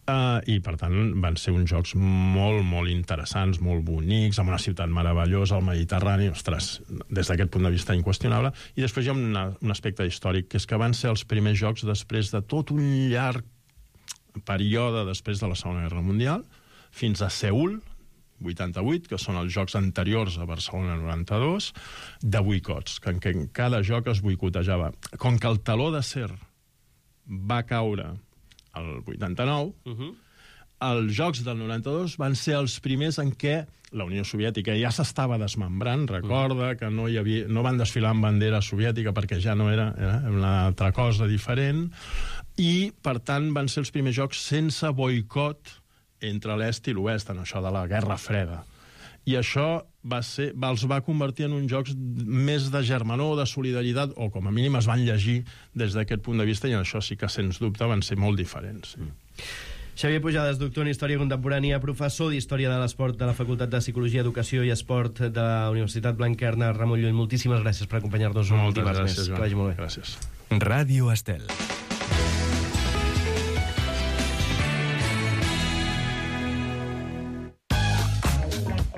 Uh, I, per tant, van ser uns jocs molt, molt interessants, molt bonics, amb una ciutat meravellosa, al Mediterrani, ostres, des d'aquest punt de vista inqüestionable. I després hi ha una, un aspecte històric, que és que van ser els primers jocs després de tot un llarg període després de la Segona Guerra Mundial, fins a Seül, vuitanta-vuit, que són els jocs anteriors a Barcelona noranta-dos, de boicots, que en què cada joc es boicotejava. Com que el teló d'acer va caure el vuitanta-nou, uh-huh. els jocs del noranta-dos van ser els primers en què la Unió Soviètica ja s'estava desmembrant, recorda que no, hi havia, no van desfilar amb bandera soviètica perquè ja no era, era una altra cosa diferent, i, per tant, van ser els primers jocs sense boicot entre l'est i l'oest, en això de la Guerra Freda. I això va ser, va, els va convertir en uns jocs més de germanor, de solidaritat, o com a mínim es van llegir des d'aquest punt de vista, i això sí que, sens dubte, van ser molt diferents. Sí. Xavier Pujades, doctor en Història Contemporània, professor d'Història de l'Esport de la Facultat de Psicologia, Educació i Esport de la Universitat Blanquerna, Ramon Llull. Moltíssimes gràcies per acompanyar-nos un dimarts més. Que vagi molt bé. Gràcies. Ràdio Estel.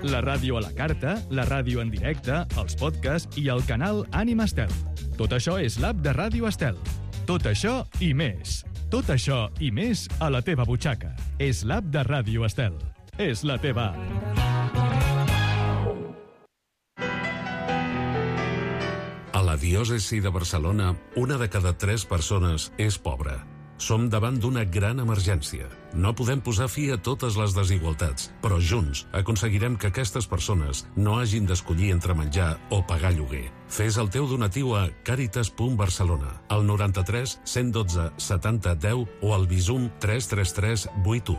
La ràdio a la carta, la ràdio en directe, els podcasts i el canal Ànima Estel. Tot això és l'app de Ràdio Estel. Tot això i més. Tot això i més a la teva butxaca. És l'app de Ràdio Estel. És la teva app. A la diòcesi de Barcelona, una de cada tres persones és pobra. Som davant d'una gran emergència. No podem posar fi a totes les desigualtats, però junts aconseguirem que aquestes persones no hagin d'escollir entre menjar o pagar lloguer. Fes el teu donatiu a caritas punt barcelona, al noranta-tres cent dotze setanta deu o al Bizum tres tres tres vuit u.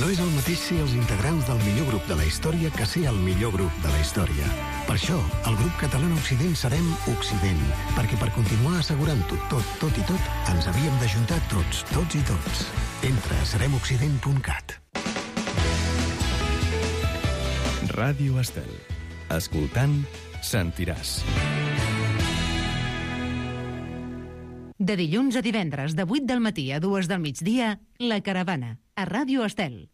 No és el mateix ser els integrants del millor grup de la història que ser el millor grup de la història. Per això, el grup català Occident serem Occident, perquè per continuar assegurant-ho tot, tot i tot, ens havíem d'ajuntar tots, tots i tots. Entra a serem occident punt cat. Ràdio Estel. Escoltant, sentiràs. De dilluns a divendres, de vuit del matí a dues del migdia, La Caravana, a Ràdio Estel.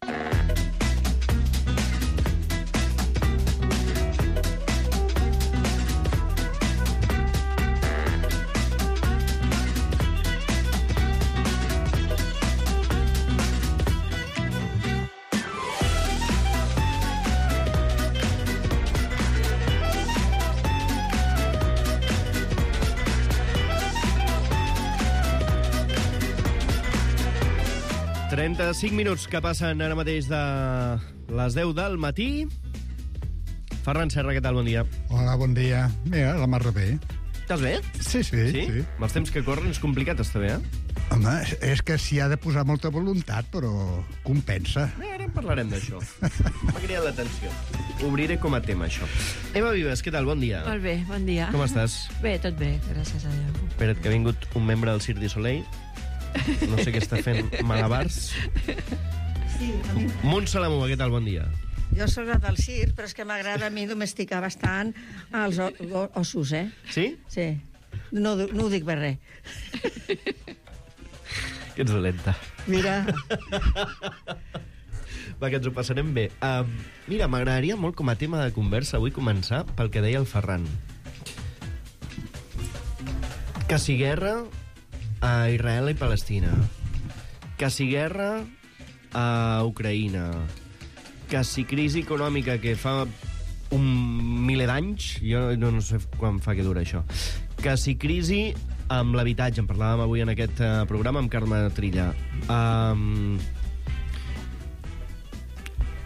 trenta-cinc minuts que passen ara mateix de les deu del matí. Ferran Serra, què tal? Bon dia. Hola, bon dia. Mira, la mar bé. Estàs bé? Sí, sí. Sí? sí. Amb els temps que corren és complicat estar bé, eh? Home, és que s'hi ha de posar molta voluntat, però compensa. Bé, ara en parlarem d'això. M'ha cridat l'atenció. Obriré com a tema, això. Eva Vives, què tal? Bon dia. Molt bé, bon dia. Com estàs? Bé, tot bé, gràcies a Déu. Espera't, que ha vingut un membre del Cirque du Soleil. No sé què està fent, malabars. Sí, a mi... Montse Lamuga, què tal? Bon dia. Jo soc la del circ, però és que m'agrada a mi domesticar bastant els ossos, eh? Sí? Sí. No, no ho dic per res. Que ets dolenta. Mira. Va, que ens ho passarem bé. Uh, mira, m'agradaria molt com a tema de conversa avui començar pel que deia el Ferran. Que si guerra a Israel i Palestina, que si guerra a Ucraïna, que si crisi econòmica que fa un miler d'anys, jo no, no sé quan fa que dura això, que si crisi amb l'habitatge, en parlàvem avui en aquest uh, programa amb Carme Trilla, um,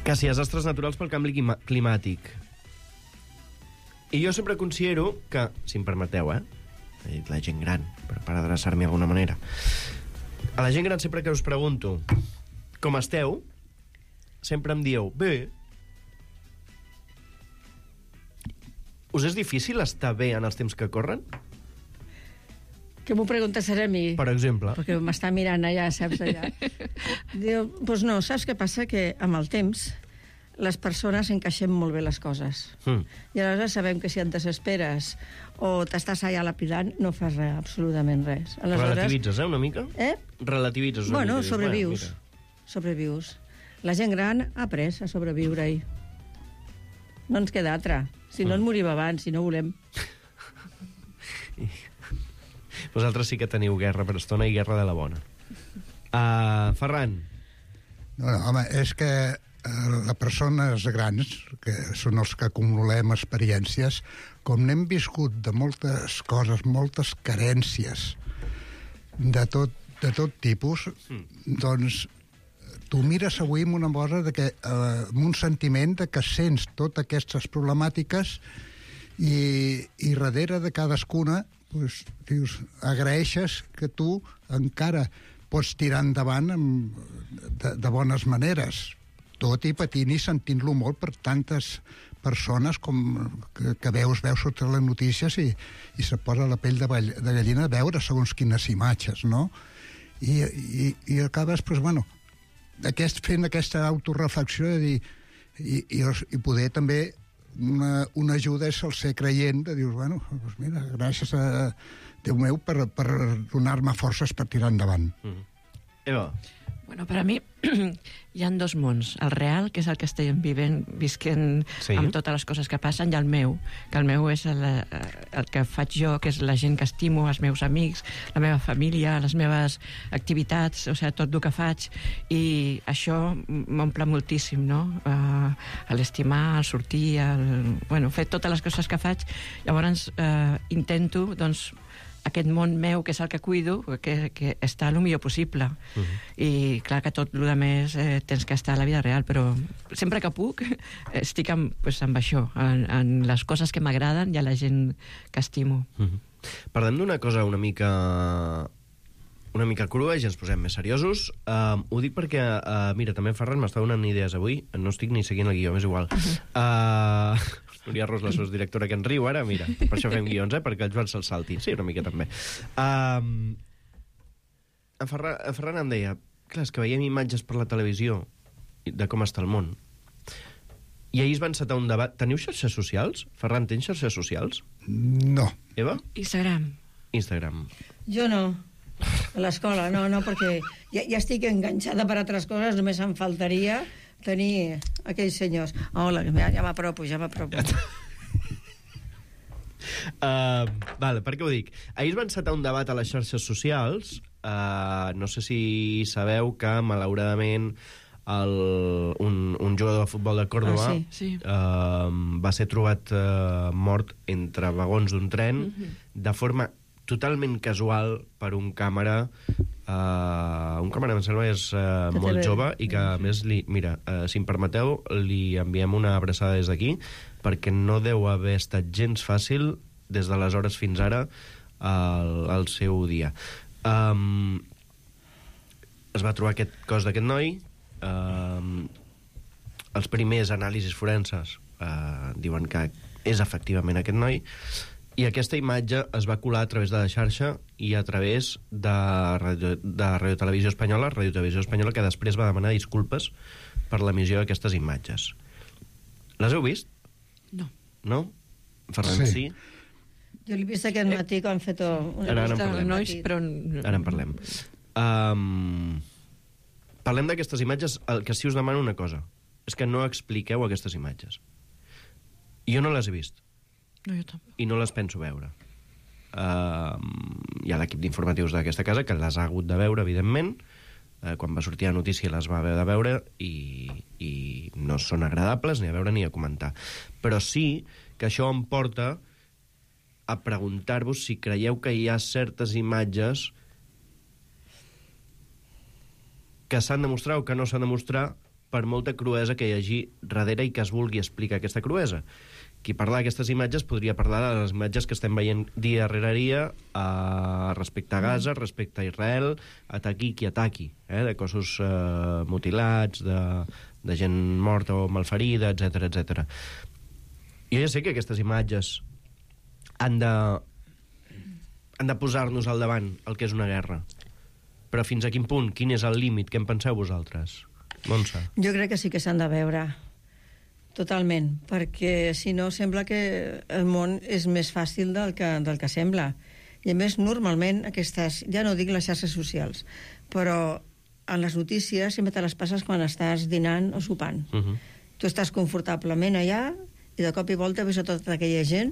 que si desastres naturals pel canvi climàtic. I jo sempre considero que, si em permeteu, eh, he dit la gent gran, per, per adreçar-me d'alguna manera. A la gent gran sempre que us pregunto com esteu, sempre em dieu, bé. Us és difícil estar bé en els temps que corren? Que m'ho preguntes a mi? Per exemple. Perquè m'està mirant allà, saps, allà. Diu, doncs no, saps què passa? Que amb el temps les persones encaixem molt bé les coses. Mm. I aleshores sabem que si et desesperes o t'estàs allà lapidant, no fas res, absolutament res. Aleshores... Relativitzes, eh, una mica? Eh? Relativitzes una bueno, mica. Sobrevius. Bueno, sobrevius. La gent gran ha après a sobreviure-hi. No ens queda altra. Si no, mm. ens morim abans, si no volem. Vosaltres sí que teniu guerra per estona i guerra de la bona. Uh, Ferran. No, no, home, és que les persones grans, que són els que acumulem experiències, com n'hem viscut de moltes coses, moltes carències de tot, de tot tipus, mm. doncs tu mires avui amb una cosa de que, eh, amb un sentiment de que sents totes aquestes problemàtiques i, i darrere de cadascuna pues, dius, agraeixes que tu encara pots tirar endavant amb, de, de bones maneres, tot i patint i sentint-lo molt per tantes persones com que, que veus, veus sota les notícies i, i se posa la pell de, ball, de gallina a veure segons quines imatges, no? I, i, i acabes, pues, bueno, aquest, fent aquesta autoreflexió de dir, i, i, i poder també una, una ajuda és el ser creient de dir, bueno, pues mira, gràcies a Déu meu per, per donar-me forces per tirar endavant. Mm. Eva. Bueno, per a mi hi ha dos mons. El real, que és el que estem vivent, visquent sí. amb totes les coses que passen, i el meu, que el meu és el, el que faig jo, que és la gent que estimo, els meus amics, la meva família, les meves activitats, o sigui, tot el que faig, i això m'omple moltíssim, no? Uh, l'estimar, el sortir, el, bueno, fer totes les coses que faig. Llavors, uh, intento, doncs, aquest món meu, que és el que cuido, que, que està el millor possible. Uh -huh. I clar que tot el que més eh, tens que estar a la vida real, però sempre que puc estic amb, pues, amb això, en, en les coses que m'agraden i a la gent que estimo. Uh -huh. Parlem d'una cosa una mica una mica crua i ja ens posem més seriosos. Uh, ho dic perquè, uh, mira, també Ferran m'està donant idees avui, no estic ni seguint el guió, m'és igual. Uh, Núria Ros, la sosdirectora, que en riu ara, mira, per això fem guions, eh, perquè el Joan se'l salti. Sí, una mica també. Uh, en, Ferran, en Ferran em deia, clar, és que veiem imatges per la televisió de com està el món. I ahir es va encetar un debat. Teniu xarxes socials? Ferran, tens xarxes socials? No. Eva? Instagram. Instagram. Jo no. A l'escola, no, no, perquè ja, ja estic enganxada per altres coses, només em faltaria tenir aquells senyors. Hola, ja, ja m'apropo, ja m'apropo. uh, vale, per què ho dic? Ahir es va encetar un debat a les xarxes socials. Uh, no sé si sabeu que, malauradament, el, un, un jugador de futbol de Còrdova ah, sí, sí. Uh, va ser trobat uh, mort entre vagons d'un tren Mm-hmm. de forma totalment casual per un càmera uh, un càmera, em sembla, és uh, molt jove i que, a més, li, mira, uh, si em permeteu, li enviem una abraçada des d'aquí, perquè no deu haver estat gens fàcil des d'aleshores fins ara el, el seu dia. Um, es va trobar aquest cos d'aquest noi. Um, els primers anàlisis forenses uh, diuen que és efectivament aquest noi, i aquesta imatge es va colar a través de la xarxa i a través de Radio, de Radio Televisió Espanyola, Radio Televisió Espanyola, que després va demanar disculpes per l'emissió d'aquestes imatges. Les heu vist? No. No? Ferran, sí? sí? Jo l'he vist aquest matí quan han fet una ara, ara en llista parlem. de nois, però... Ara en parlem. Um, parlem d'aquestes imatges. El que sí us demano una cosa és que no expliqueu aquestes imatges. Jo no les he vist. No, jo tampoc. I no les penso veure. Uh, hi ha l'equip d'informatius d'aquesta casa que les ha hagut de veure, evidentment. Uh, quan va sortir la notícia les va haver de veure i, i no són agradables ni a veure ni a comentar. Però sí que això em porta a preguntar-vos si creieu que hi ha certes imatges que s'han de mostrar o que no s'han de mostrar per molta cruesa que hi hagi darrere i que es vulgui explicar aquesta cruesa. Qui parla d'aquestes imatges podria parlar de les imatges que estem veient dia rere dia eh, respecte a Gaza, respecte a Israel, ataqui qui ataqui, eh, de cossos eh, mutilats, de, de gent morta o malferida, etcètera, etcètera. Jo ja sé que aquestes imatges han de, han de posar-nos al davant el que és una guerra. Però fins a quin punt? Quin és el límit? Què en penseu vosaltres? Montse? Jo crec que sí que s'han de veure. Totalment, perquè si no sembla que el món és més fàcil del que, del que sembla. I a més, normalment, aquestes, ja no dic les xarxes socials, però en les notícies sempre te les passes quan estàs dinant o sopant. Uh-huh. Tu estàs confortablement allà i de cop i volta ves a tota aquella gent,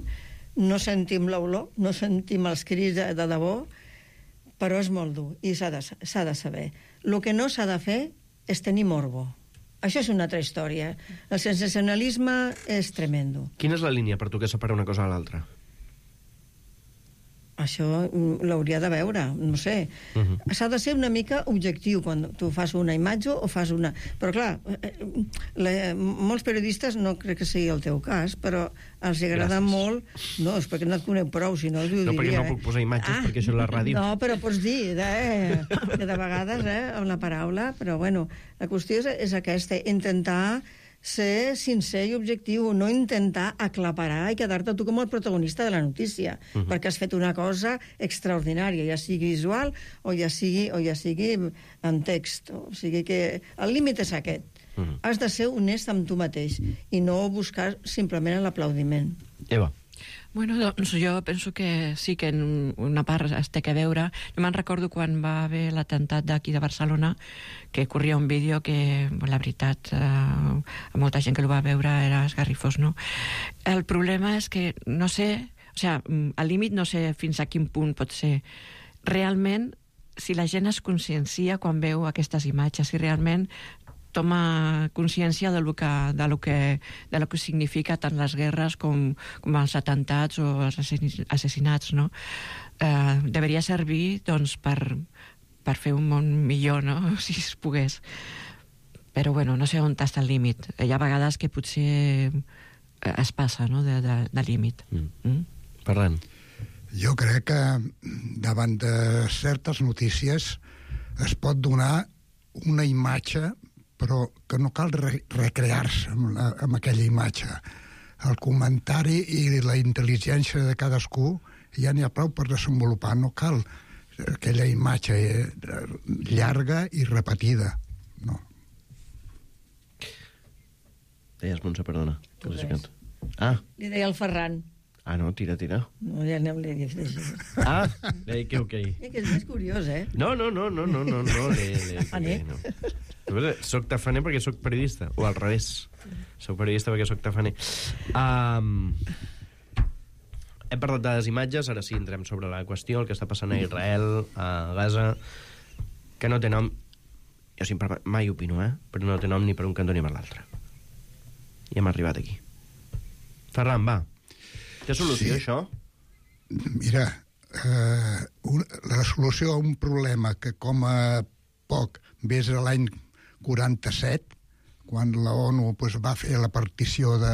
no sentim l'olor, no sentim els crits de, de debò, però és molt dur i s'ha de, s'ha de saber. El que no s'ha de fer és tenir morbo. Això és una altra història. El sensacionalisme és tremendo. Quina és la línia per tu que separa una cosa a l'altra? Això l'hauria de veure, no sé. Uh-huh. S'ha de ser una mica objectiu quan tu fas una imatge o fas una... Però clar, la, molts periodistes, no crec que sigui el teu cas, però els agrada Gràcies. molt... No, és perquè no et conec prou, si no ho diria. No, perquè no puc posar imatges, ah, perquè això és la ràdio. No, però pots dir, eh, que de vegades, eh, amb la paraula, però bueno, la qüestió és, és aquesta, intentar ser sincer i objectiu, no intentar aclaparar i quedar-te tu com el protagonista de la notícia, uh-huh. perquè has fet una cosa extraordinària, ja sigui visual o ja sigui, o ja sigui en text. O sigui que el límit és aquest. Uh-huh. Has de ser honest amb tu mateix i no buscar simplement l'aplaudiment. Eva. Bueno, doncs jo penso que sí que en una part es té que veure. Jo me'n recordo quan va haver l'atemptat d'aquí de Barcelona, que corria un vídeo que, la veritat, eh, a molta gent que el va veure era esgarrifós, no? El problema és que, no sé, o sigui, al límit no sé fins a quin punt pot ser. Realment, si la gent es consciencia quan veu aquestes imatges, si realment toma consciència de lo que, de lo que, de lo que significa tant les guerres com, com els atentats o els assassinats, no? Eh, deveria servir, doncs, per, per fer un món millor, no?, si es pogués. Però, bueno, no sé on està el límit. Hi ha vegades que potser es passa, no?, de, de, de límit. Mm. Mm? Ferran. Jo crec que davant de certes notícies es pot donar una imatge, però que no cal re recrear-se amb, la, amb aquella imatge. El comentari i la intel·ligència de cadascú ja n'hi ha prou per desenvolupar. No cal aquella imatge llarga i repetida. No. Deies, Montse, perdona. Ah. Li deia el Ferran. Ah, no, tira, tira. No, ja anem li dic. Ah, le que ok. Eh, que és més curiós, eh? No, no, no, no, no, no, no. Le, le, Tafaner? No. Soc tafaner perquè soc periodista, o al revés. Soc periodista perquè soc tafaner. Um, hem parlat de les imatges, ara sí entrem sobre la qüestió, el que està passant a Israel, a Gaza, que no té nom, jo sempre mai opino, eh? Però no té nom ni per un cantó ni per l'altre. I hem arribat aquí. Ferran, va. Té solució, sí. Això? Mira, eh, un, la solució a un problema que com a poc ves a l'any quaranta-set, quan la ONU pues, va fer la partició de,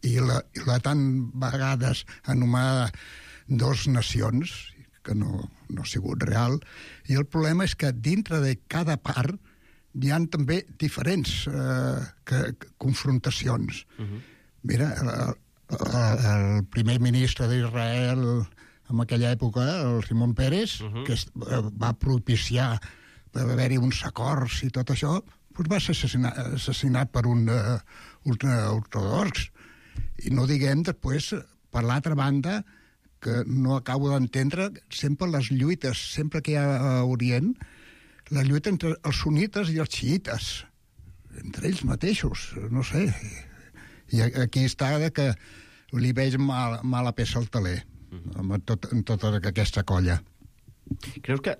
i, la, i la tan vegades anomenada dos nacions, que no, no ha sigut real, i el problema és que dintre de cada part hi ha també diferents eh, que, que, confrontacions. Uh-huh. Mira, el, el primer ministre d'Israel en aquella època, el Simón Pérez, uh-huh. que va propiciar va haver-hi uns acords i tot això, doncs va ser assassinat, assassinat per un uh, ultraortodox. I no diguem després, per l'altra banda, que no acabo d'entendre sempre les lluites, sempre que hi ha a Orient, la lluita entre els sunnites i els xiites, entre ells mateixos, no sé. I aquí està que li veig mal, mala peça al taler, amb tot, en tota aquesta colla. Creus que...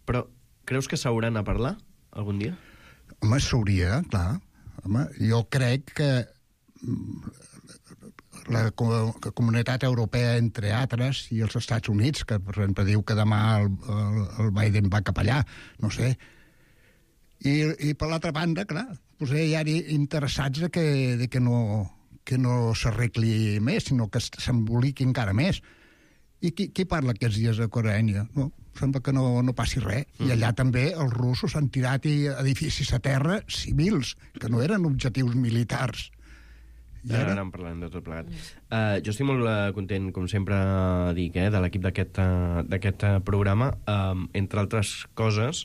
Però creus que s'hauran a parlar algun dia? Home, s'hauria, clar. Home, jo crec que la comunitat europea, entre altres, i els Estats Units, que per exemple diu que demà el, el, el Biden va cap allà, no sé. I, i per l'altra banda, clar, doncs hi ha interessats de que, de que no, que no s'arregli més, sinó que s'emboliqui encara més. I qui, qui parla aquests dies a Ucraïna? No, sembla que no, no passi res. Mm. I allà també els russos han tirat edificis a terra civils, que no eren objectius militars. I ara en parlem de tot plegat. Uh, jo estic molt uh, content, com sempre dic, eh, de l'equip d'aquest uh, d'aquest uh, programa, uh, entre altres coses,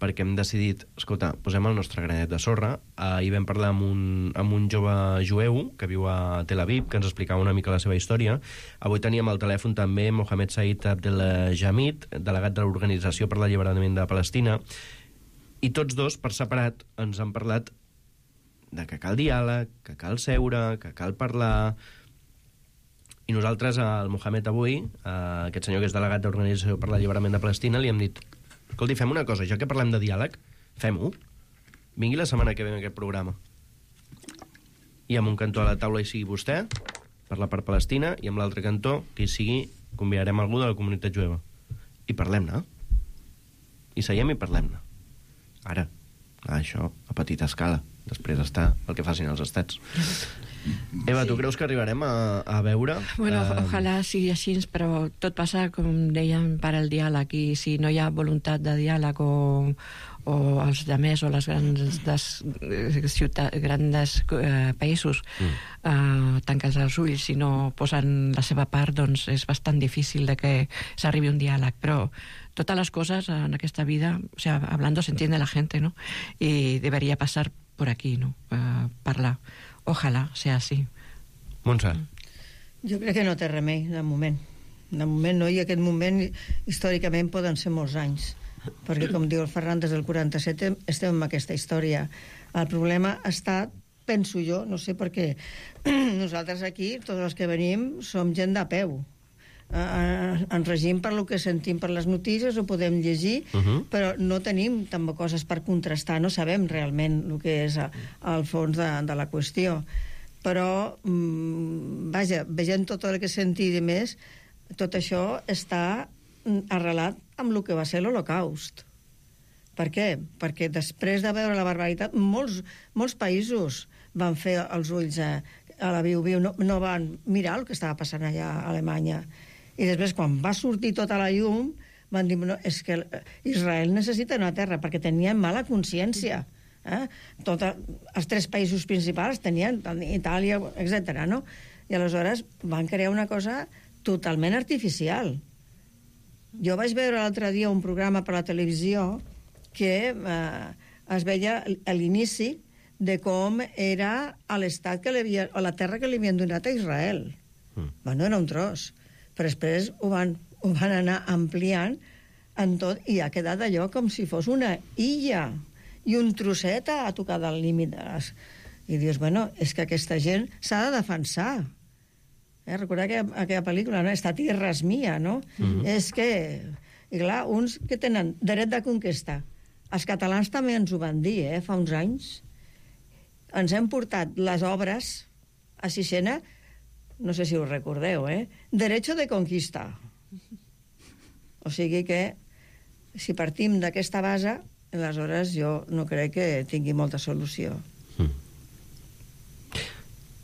perquè hem decidit, escolta, posem el nostre granet de sorra. Ahir vam parlar amb un, amb un jove jueu que viu a Tel Aviv, que ens explicava una mica la seva història. Avui teníem al telèfon també Mohamed Said Abdelhamid, delegat de l'Organització per l'Alliberament de Palestina, i tots dos, per separat, ens han parlat de que cal diàleg, que cal seure, que cal parlar. I nosaltres, al Mohamed avui, aquest senyor que és delegat de l'Organització per l'Alliberament de Palestina, li hem dit: escolti, fem una cosa, ja que parlem de diàleg, fem-ho. Vingui la setmana que ve en aquest programa. I amb un cantó a la taula hi sigui vostè, per la part palestina, i amb l'altre cantó, que hi sigui, convidarem algú de la comunitat jueva. I parlem-ne. I seiem i parlem-ne. Ara, això, a petita escala. Després està el que facin els estats. Eva, sí. Tu creus que arribarem a, a veure? Bueno, uh... ojalà sigui així, però tot passa, com dèiem, per al diàleg, i si no hi ha voluntat de diàleg o, o els demés o les grans des, ciutats, grans eh, països mm. eh, tanquen els ulls i no posen la seva part, doncs és bastant difícil de que s'arribi un diàleg, però totes les coses en aquesta vida, o sea, hablando se entiende la gente, ¿no? Y debería pasar por aquí, ¿no? Uh, parlar. Ojalà sea así. Montse. Jo crec que no té remei, de moment. De moment no, i aquest moment històricament poden ser molts anys, perquè com diu el Ferran, des del quaranta-set estem en aquesta història. El problema està, penso jo, no sé per què, nosaltres aquí, tots els que venim, som gent de peu. eh, ens regim per el que sentim per les notícies, ho podem llegir, uh -huh. però no tenim tampoc coses per contrastar, no sabem realment el que és el fons de, de la qüestió. Però, mm, vaja, veient tot el que sentim i més, tot això està arrelat amb el que va ser l'Holocaust. Per què? Perquè després de veure la barbaritat, molts, molts països van fer els ulls a, a la viu-viu, no, no van mirar el que estava passant allà a Alemanya. I després, quan va sortir tota la llum, van dir, no, és que Israel necessita una terra, perquè tenien mala consciència. Eh? Tota, els tres països principals tenien, Itàlia, etcètera, no? I aleshores van crear una cosa totalment artificial. Jo vaig veure l'altre dia un programa per la televisió que eh, es veia a l'inici de com era l'estat que li havia, o la terra que li havien donat a Israel. Mm. Bueno, era un tros. Però després ho van, ho van anar ampliant en tot i ha quedat allò com si fos una illa i un trosset a tocar del límit de les... I dius, bueno, és que aquesta gent s'ha de defensar. Eh, recordar aquella, aquella pel·lícula, no? Esta tierra és mia, no? Mm-hmm. És que, i clar, uns que tenen dret de conquesta. Els catalans també ens ho van dir, eh, fa uns anys. Ens hem portat les obres a Sixena, no sé si ho recordeu, eh? Derecho de conquista. O sigui que, si partim d'aquesta base, aleshores jo no crec que tingui molta solució. Mm.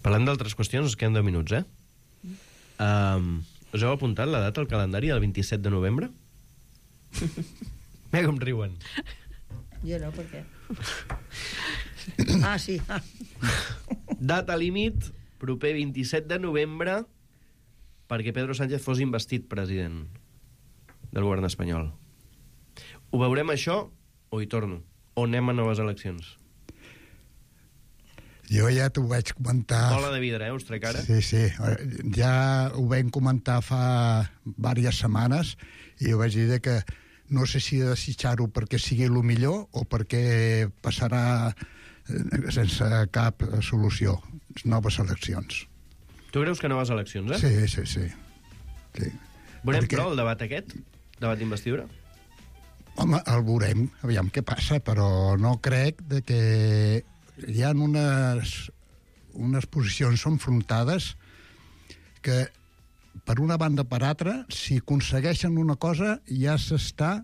Parlant d'altres qüestions, ens queden deu minuts, eh? Um, us heu apuntat la data al calendari del vint-i-set de novembre? Mira com riuen. Jo no, per què? Ah, sí. Ah. Data límit, proper vint-i-set de novembre, perquè Pedro Sánchez fos investit president del govern espanyol. Ho veurem això o hi torno? O anem a noves eleccions? Jo ja t'ho vaig comentar... Bola de vidre, eh? Us trec ara? Sí, sí. Ja ho vam comentar fa diverses setmanes i ho vaig dir que no sé si desitjar-ho perquè sigui el millor o perquè passarà sense cap solució. Noves eleccions. Tu creus que noves eleccions, eh? Sí, sí, sí. sí. Veurem, perquè... però, el debat aquest? Debat d'investidura? Home, el veurem, aviam què passa, però no crec de que hi ha unes, unes posicions enfrontades que, per una banda per altra, si aconsegueixen una cosa, ja s'està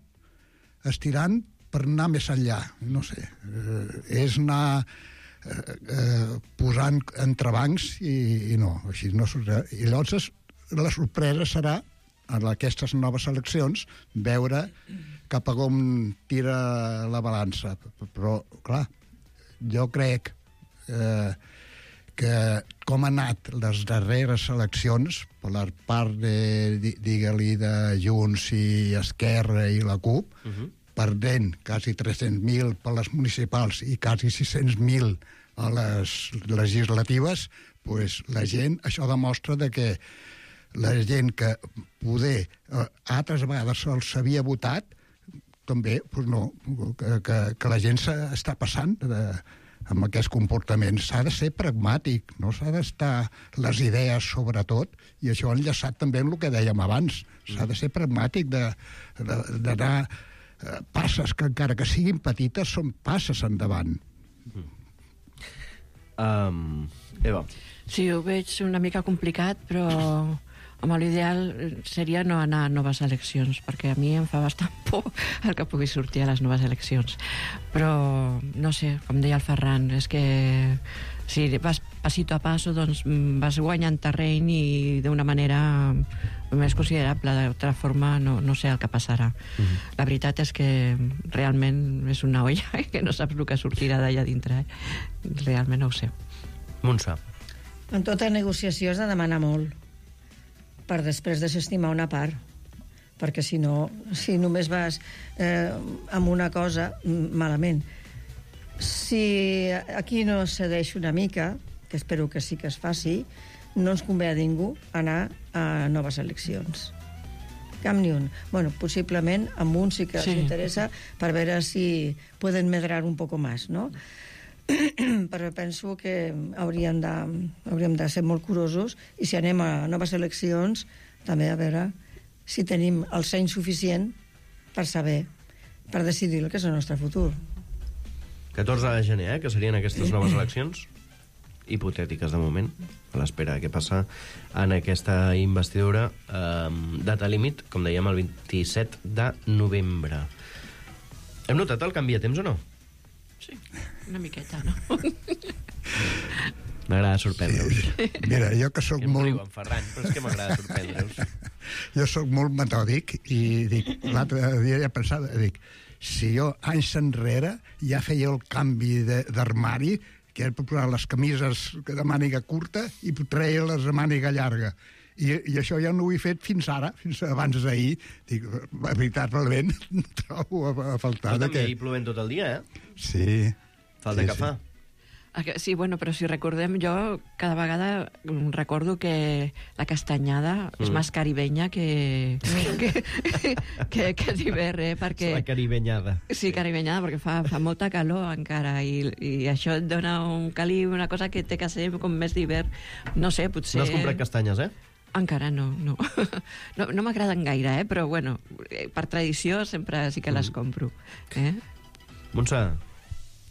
estirant per anar més enllà. No sé, eh, és anar eh, eh, posant entrebancs i, i no, així no sortirà. I llavors la sorpresa serà, en aquestes noves eleccions, veure cap a com tira la balança. Però, clar, jo crec eh, que com han anat les darreres eleccions per la part de, digue-li, de Junts i Esquerra i la CUP, uh-huh. perdent quasi tres-cents mil per les municipals i quasi sis-cents mil a les legislatives, pues la gent, això demostra de que la gent que poder eh, altres vegades se'ls havia votat també, pues no, que, que, que la gent s'està passant de, amb aquest comportament. S'ha de ser pragmàtic, no s'ha d'estar les idees sobretot, i això enllaçat també amb el que dèiem abans. S'ha de ser pragmàtic, d'anar eh, passes que encara que siguin petites són passes endavant. Um, Eva. Sí, ho veig una mica complicat, però home, l'ideal seria no anar a noves eleccions, perquè a mi em fa bastant por el que pugui sortir a les noves eleccions. Però, no sé, com deia el Ferran, és que si vas passito a passo, doncs vas guanyant terreny i d'una manera més considerable. D'altra forma, no, no sé el que passarà. Mm-hmm. La veritat és que realment és una olla que no saps el que sortirà d'allà dintre. Eh? Realment no ho sé. Montse. En tota negociació has de demanar molt per després desestimar una part, perquè si no, si només vas eh, amb una cosa, malament. Si aquí no cedeix una mica, que espero que sí que es faci, no ens convé a ningú anar a noves eleccions. Cap ni un. Bueno, possiblement amb un sí que sí. els interessa per veure si poden medrar un poco más, ¿no? Però penso que hauríem de, hauríem de ser molt curosos i si anem a noves eleccions també a veure si tenim el seny suficient per saber, per decidir el que és el nostre futur. catorze de gener, eh, que serien aquestes noves eleccions hipotètiques de moment, a l'espera de què passa en aquesta investidura. Eh, data límit, com dèiem, el vint-i-set de novembre. Hem notat el canvi de temps o no? Sí, una miqueta, no? M'agrada sorprendre-us. Sí. Mira, jo que sóc que molt... Riu, en Ferran, però és que m'agrada sorprendre-us. Jo sóc molt metòdic i dic, l'altre dia ja pensava, dic, si jo anys enrere ja feia el canvi d'armari, que era per posar les camises de màniga curta i treia les de màniga llarga. I, i això ja no ho he fet fins ara, fins abans d'ahir. Dic, la veritat, realment, trobo a, a faltar... Però també que... hi plovent tot el dia, eh? Sí. Falta sí, que sí. fa. Sí, bueno, però si recordem, jo cada vegada recordo que la castanyada mm. és més caribenya que, que, que, que d'hivern, eh? Perquè... La caribenyada. Sí, caribenyada, perquè fa, fa molta calor encara i, i això et dona un caliu, una cosa que té que ser com més d'hivern. No sé, potser... No has comprat castanyes, eh? Encara no, no. No, no m'agraden gaire, eh? Però, bueno, per tradició sempre sí que les compro. Eh? Montse,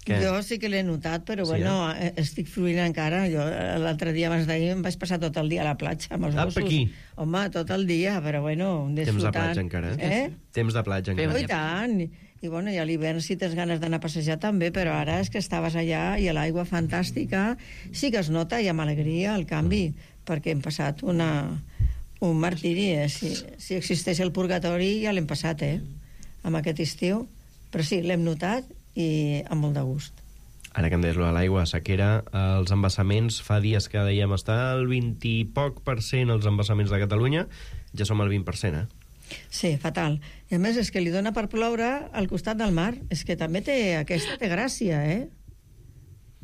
què? Jo sí que l'he notat, però Sí, bueno, eh? estic fluint encara. Jo l'altre dia, abans d'ahir, em vaig passar tot el dia a la platja amb els Apa, gossos. aquí? Home, tot el dia, però bueno, Temps de disfrutant. platja encara, eh? Eh? Temps de platja encara. Oh, i tant. I bueno, i a l'hivern si tens ganes d'anar a passejar també, però ara és que estaves allà i a l'aigua fantàstica. Sí que es nota i amb alegria el canvi, perquè hem passat una, un martiri. Eh? Si, si existeix el purgatori ja l'hem passat, eh? Amb aquest estiu. Però sí, l'hem notat i amb molt de gust. Ara que em deies l'aigua, sequera, els embassaments, fa dies que dèiem està al vint i poc per cent els embassaments de Catalunya, ja som al vint per cent, eh? Sí, fatal. I a més és que li dona per ploure al costat del mar. És que també té, aquesta té gràcia, eh?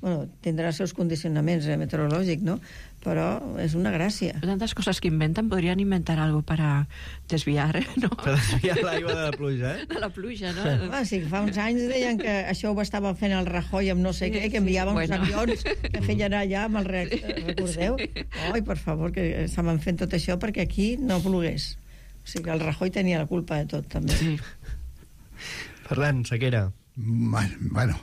Bueno, tindrà els seus condicionaments eh, meteorològics, no? Però és una gràcia. Tantes coses que inventen, podrien inventar algo para desviar, no? Per desviar l'aigua de la pluja, eh? De la pluja, no? Ah, sí, fa uns anys deien que això ho estava fent el Rajoy amb no sé què, que enviaven bueno. uns avions que feien allà amb el reactor, recordeu? Oi, per favor, que estaven fent tot això perquè aquí no plogués. O sigui, el Rajoy tenia la culpa de tot, també. Sí. Ferran, sequera. Bueno, bueno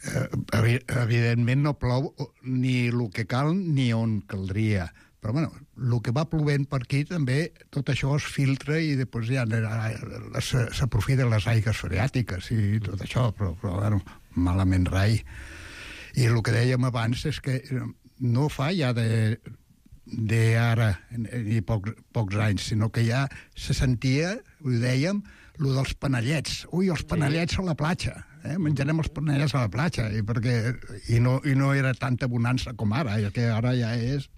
eh, evidentment no plou ni el que cal ni on caldria. Però, bueno, el que va plovent per aquí també, tot això es filtra i després ja s'aprofiten les aigues freàtiques i tot això, però, però bueno, malament rai. I el que dèiem abans és que no fa ja de, de ara ni pocs, pocs anys, sinó que ja se sentia, ho dèiem, el dels panellets. Ui, els panellets a la platja. Eh? Menjarem els panellets a la platja. I, perquè, i, no, I no era tanta bonança com ara, i que ara ja és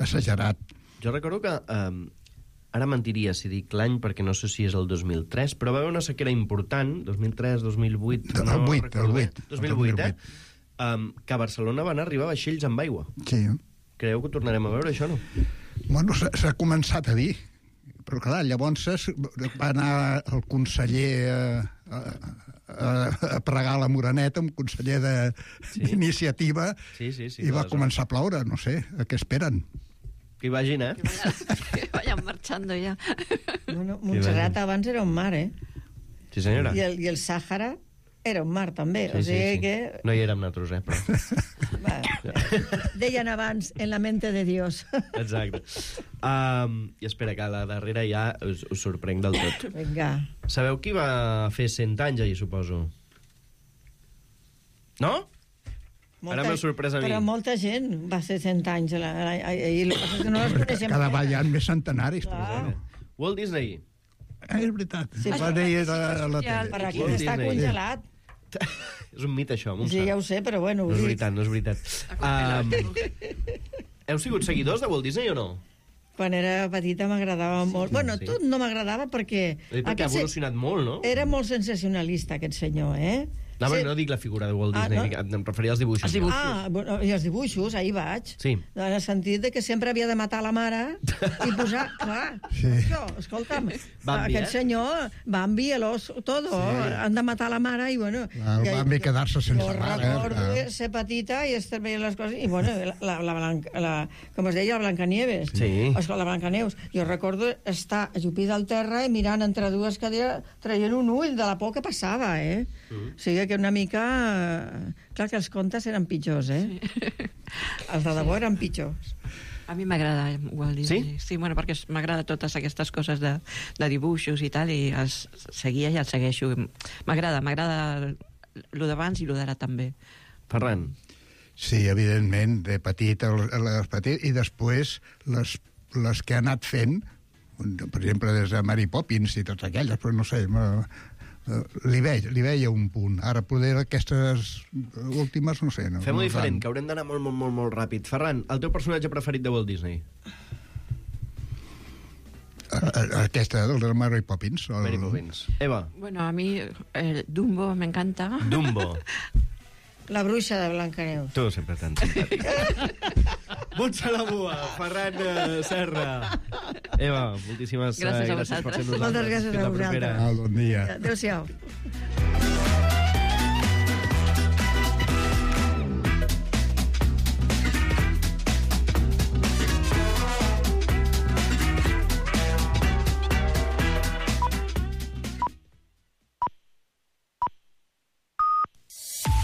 exagerat. Jo recordo que... Eh, ara mentiria si dic l'any, perquè no sé si és el dos mil tres, però va haver una sequera important, dos mil tres, dos mil vuit... El no vuit, el vuit. dos mil vuit, eh? Um, que a Barcelona van arribar vaixells amb aigua. Sí. Creieu que ho tornarem a veure, això, no? Bueno, s'ha començat a dir. Però, clar, llavors va anar el conseller a, a, a, a pregar la Moreneta, un conseller d'iniciativa, sí? sí, sí, sí, i va començar a ploure, no sé, a què esperen? Que hi vagin, eh? Que vayan marchando ja. Bueno, Montserrat abans era un mar, eh? Sí, senyora. I el, i el Sàhara era un mar, també. Sí, o sigui sí, sí. que... No hi érem nosaltres, eh? Però... Va, deien abans, en la mente de Dios. Exacte. Um, I espera, que a la darrera ja us, us sorprenc del tot. Vinga. Sabeu qui va fer cent anys ahir, suposo? No? Molta, Ara m'heu sorprès a mi. Però molta gent va ser cent anys. La, la, la, i el que passa és que no les coneixem. Cada vegada hi ha més centenaris. Clar. Walt Disney. Ah, és veritat. Sí, va dir a la, la tele. Per aquí Walt està Disney. congelat. És un mite, això, Montse. Sí, ja ho sé, però bueno... No és ho dic. veritat, no és veritat. Um, heu sigut seguidors de Walt Disney o no? Quan era petita m'agradava molt. Bueno, sí. tot no m'agradava perquè... Eh, perquè ha se- evolucionat molt, no? Era molt sensacionalista, aquest senyor, eh? No, sí. no dic la figura de Walt Disney, ah, no? Em referia als dibuixos. Els dibuixos. Ah, bueno, i els dibuixos, ahir vaig. Sí. En el sentit de que sempre havia de matar la mare i posar... Clar, sí. això, escolta'm, Bambi, aquest eh? senyor, Bambi, el oso, todo, sí. han de matar la mare i, bueno... El Bambi quedar-se sense jo mare. Jo recordo eh? ser petita i estar veient les coses, i, bueno, la, la, Blanca, la, com es deia, la Blancanieves. Sí. Escolta, la Blancaneus. Jo recordo estar ajupida al terra i mirant entre dues cadires, traient un ull de la por que passava, eh? Mm. O sigui que una mica... Clar que els contes eren pitjors, eh? Sí. Els de debò eren pitjors. A mi m'agrada Walt Disney. Sí? Sí, bueno, perquè m'agrada totes aquestes coses de, de dibuixos i tal, i els seguia i els segueixo. M'agrada, m'agrada lo d'abans i lo d'ara també. Ferran. Sí, evidentment, de petit, les petit, i després les, les que ha anat fent, per exemple, des de Mary Poppins i totes aquelles, però no sé... Li, veig, li veia un punt. Ara, poder aquestes últimes, no sé... No, Fem-ho no diferent, tant. que haurem d'anar molt, molt, molt, molt ràpid. Ferran, el teu personatge preferit de Walt Disney? Aquesta, el de Mary Poppins. El... Mary Poppins. Eva. Bueno, a mi eh, Dumbo me encanta. Dumbo. La bruixa de Blancaneus. Tu sempre tan simpàtic. Montse la Bua, Ferran uh, Serra. Eva, moltíssimes gràcies, uh, gràcies per ser amb nosaltres. Moltes gràcies a vosaltres. Bon dia. Adéu-siau.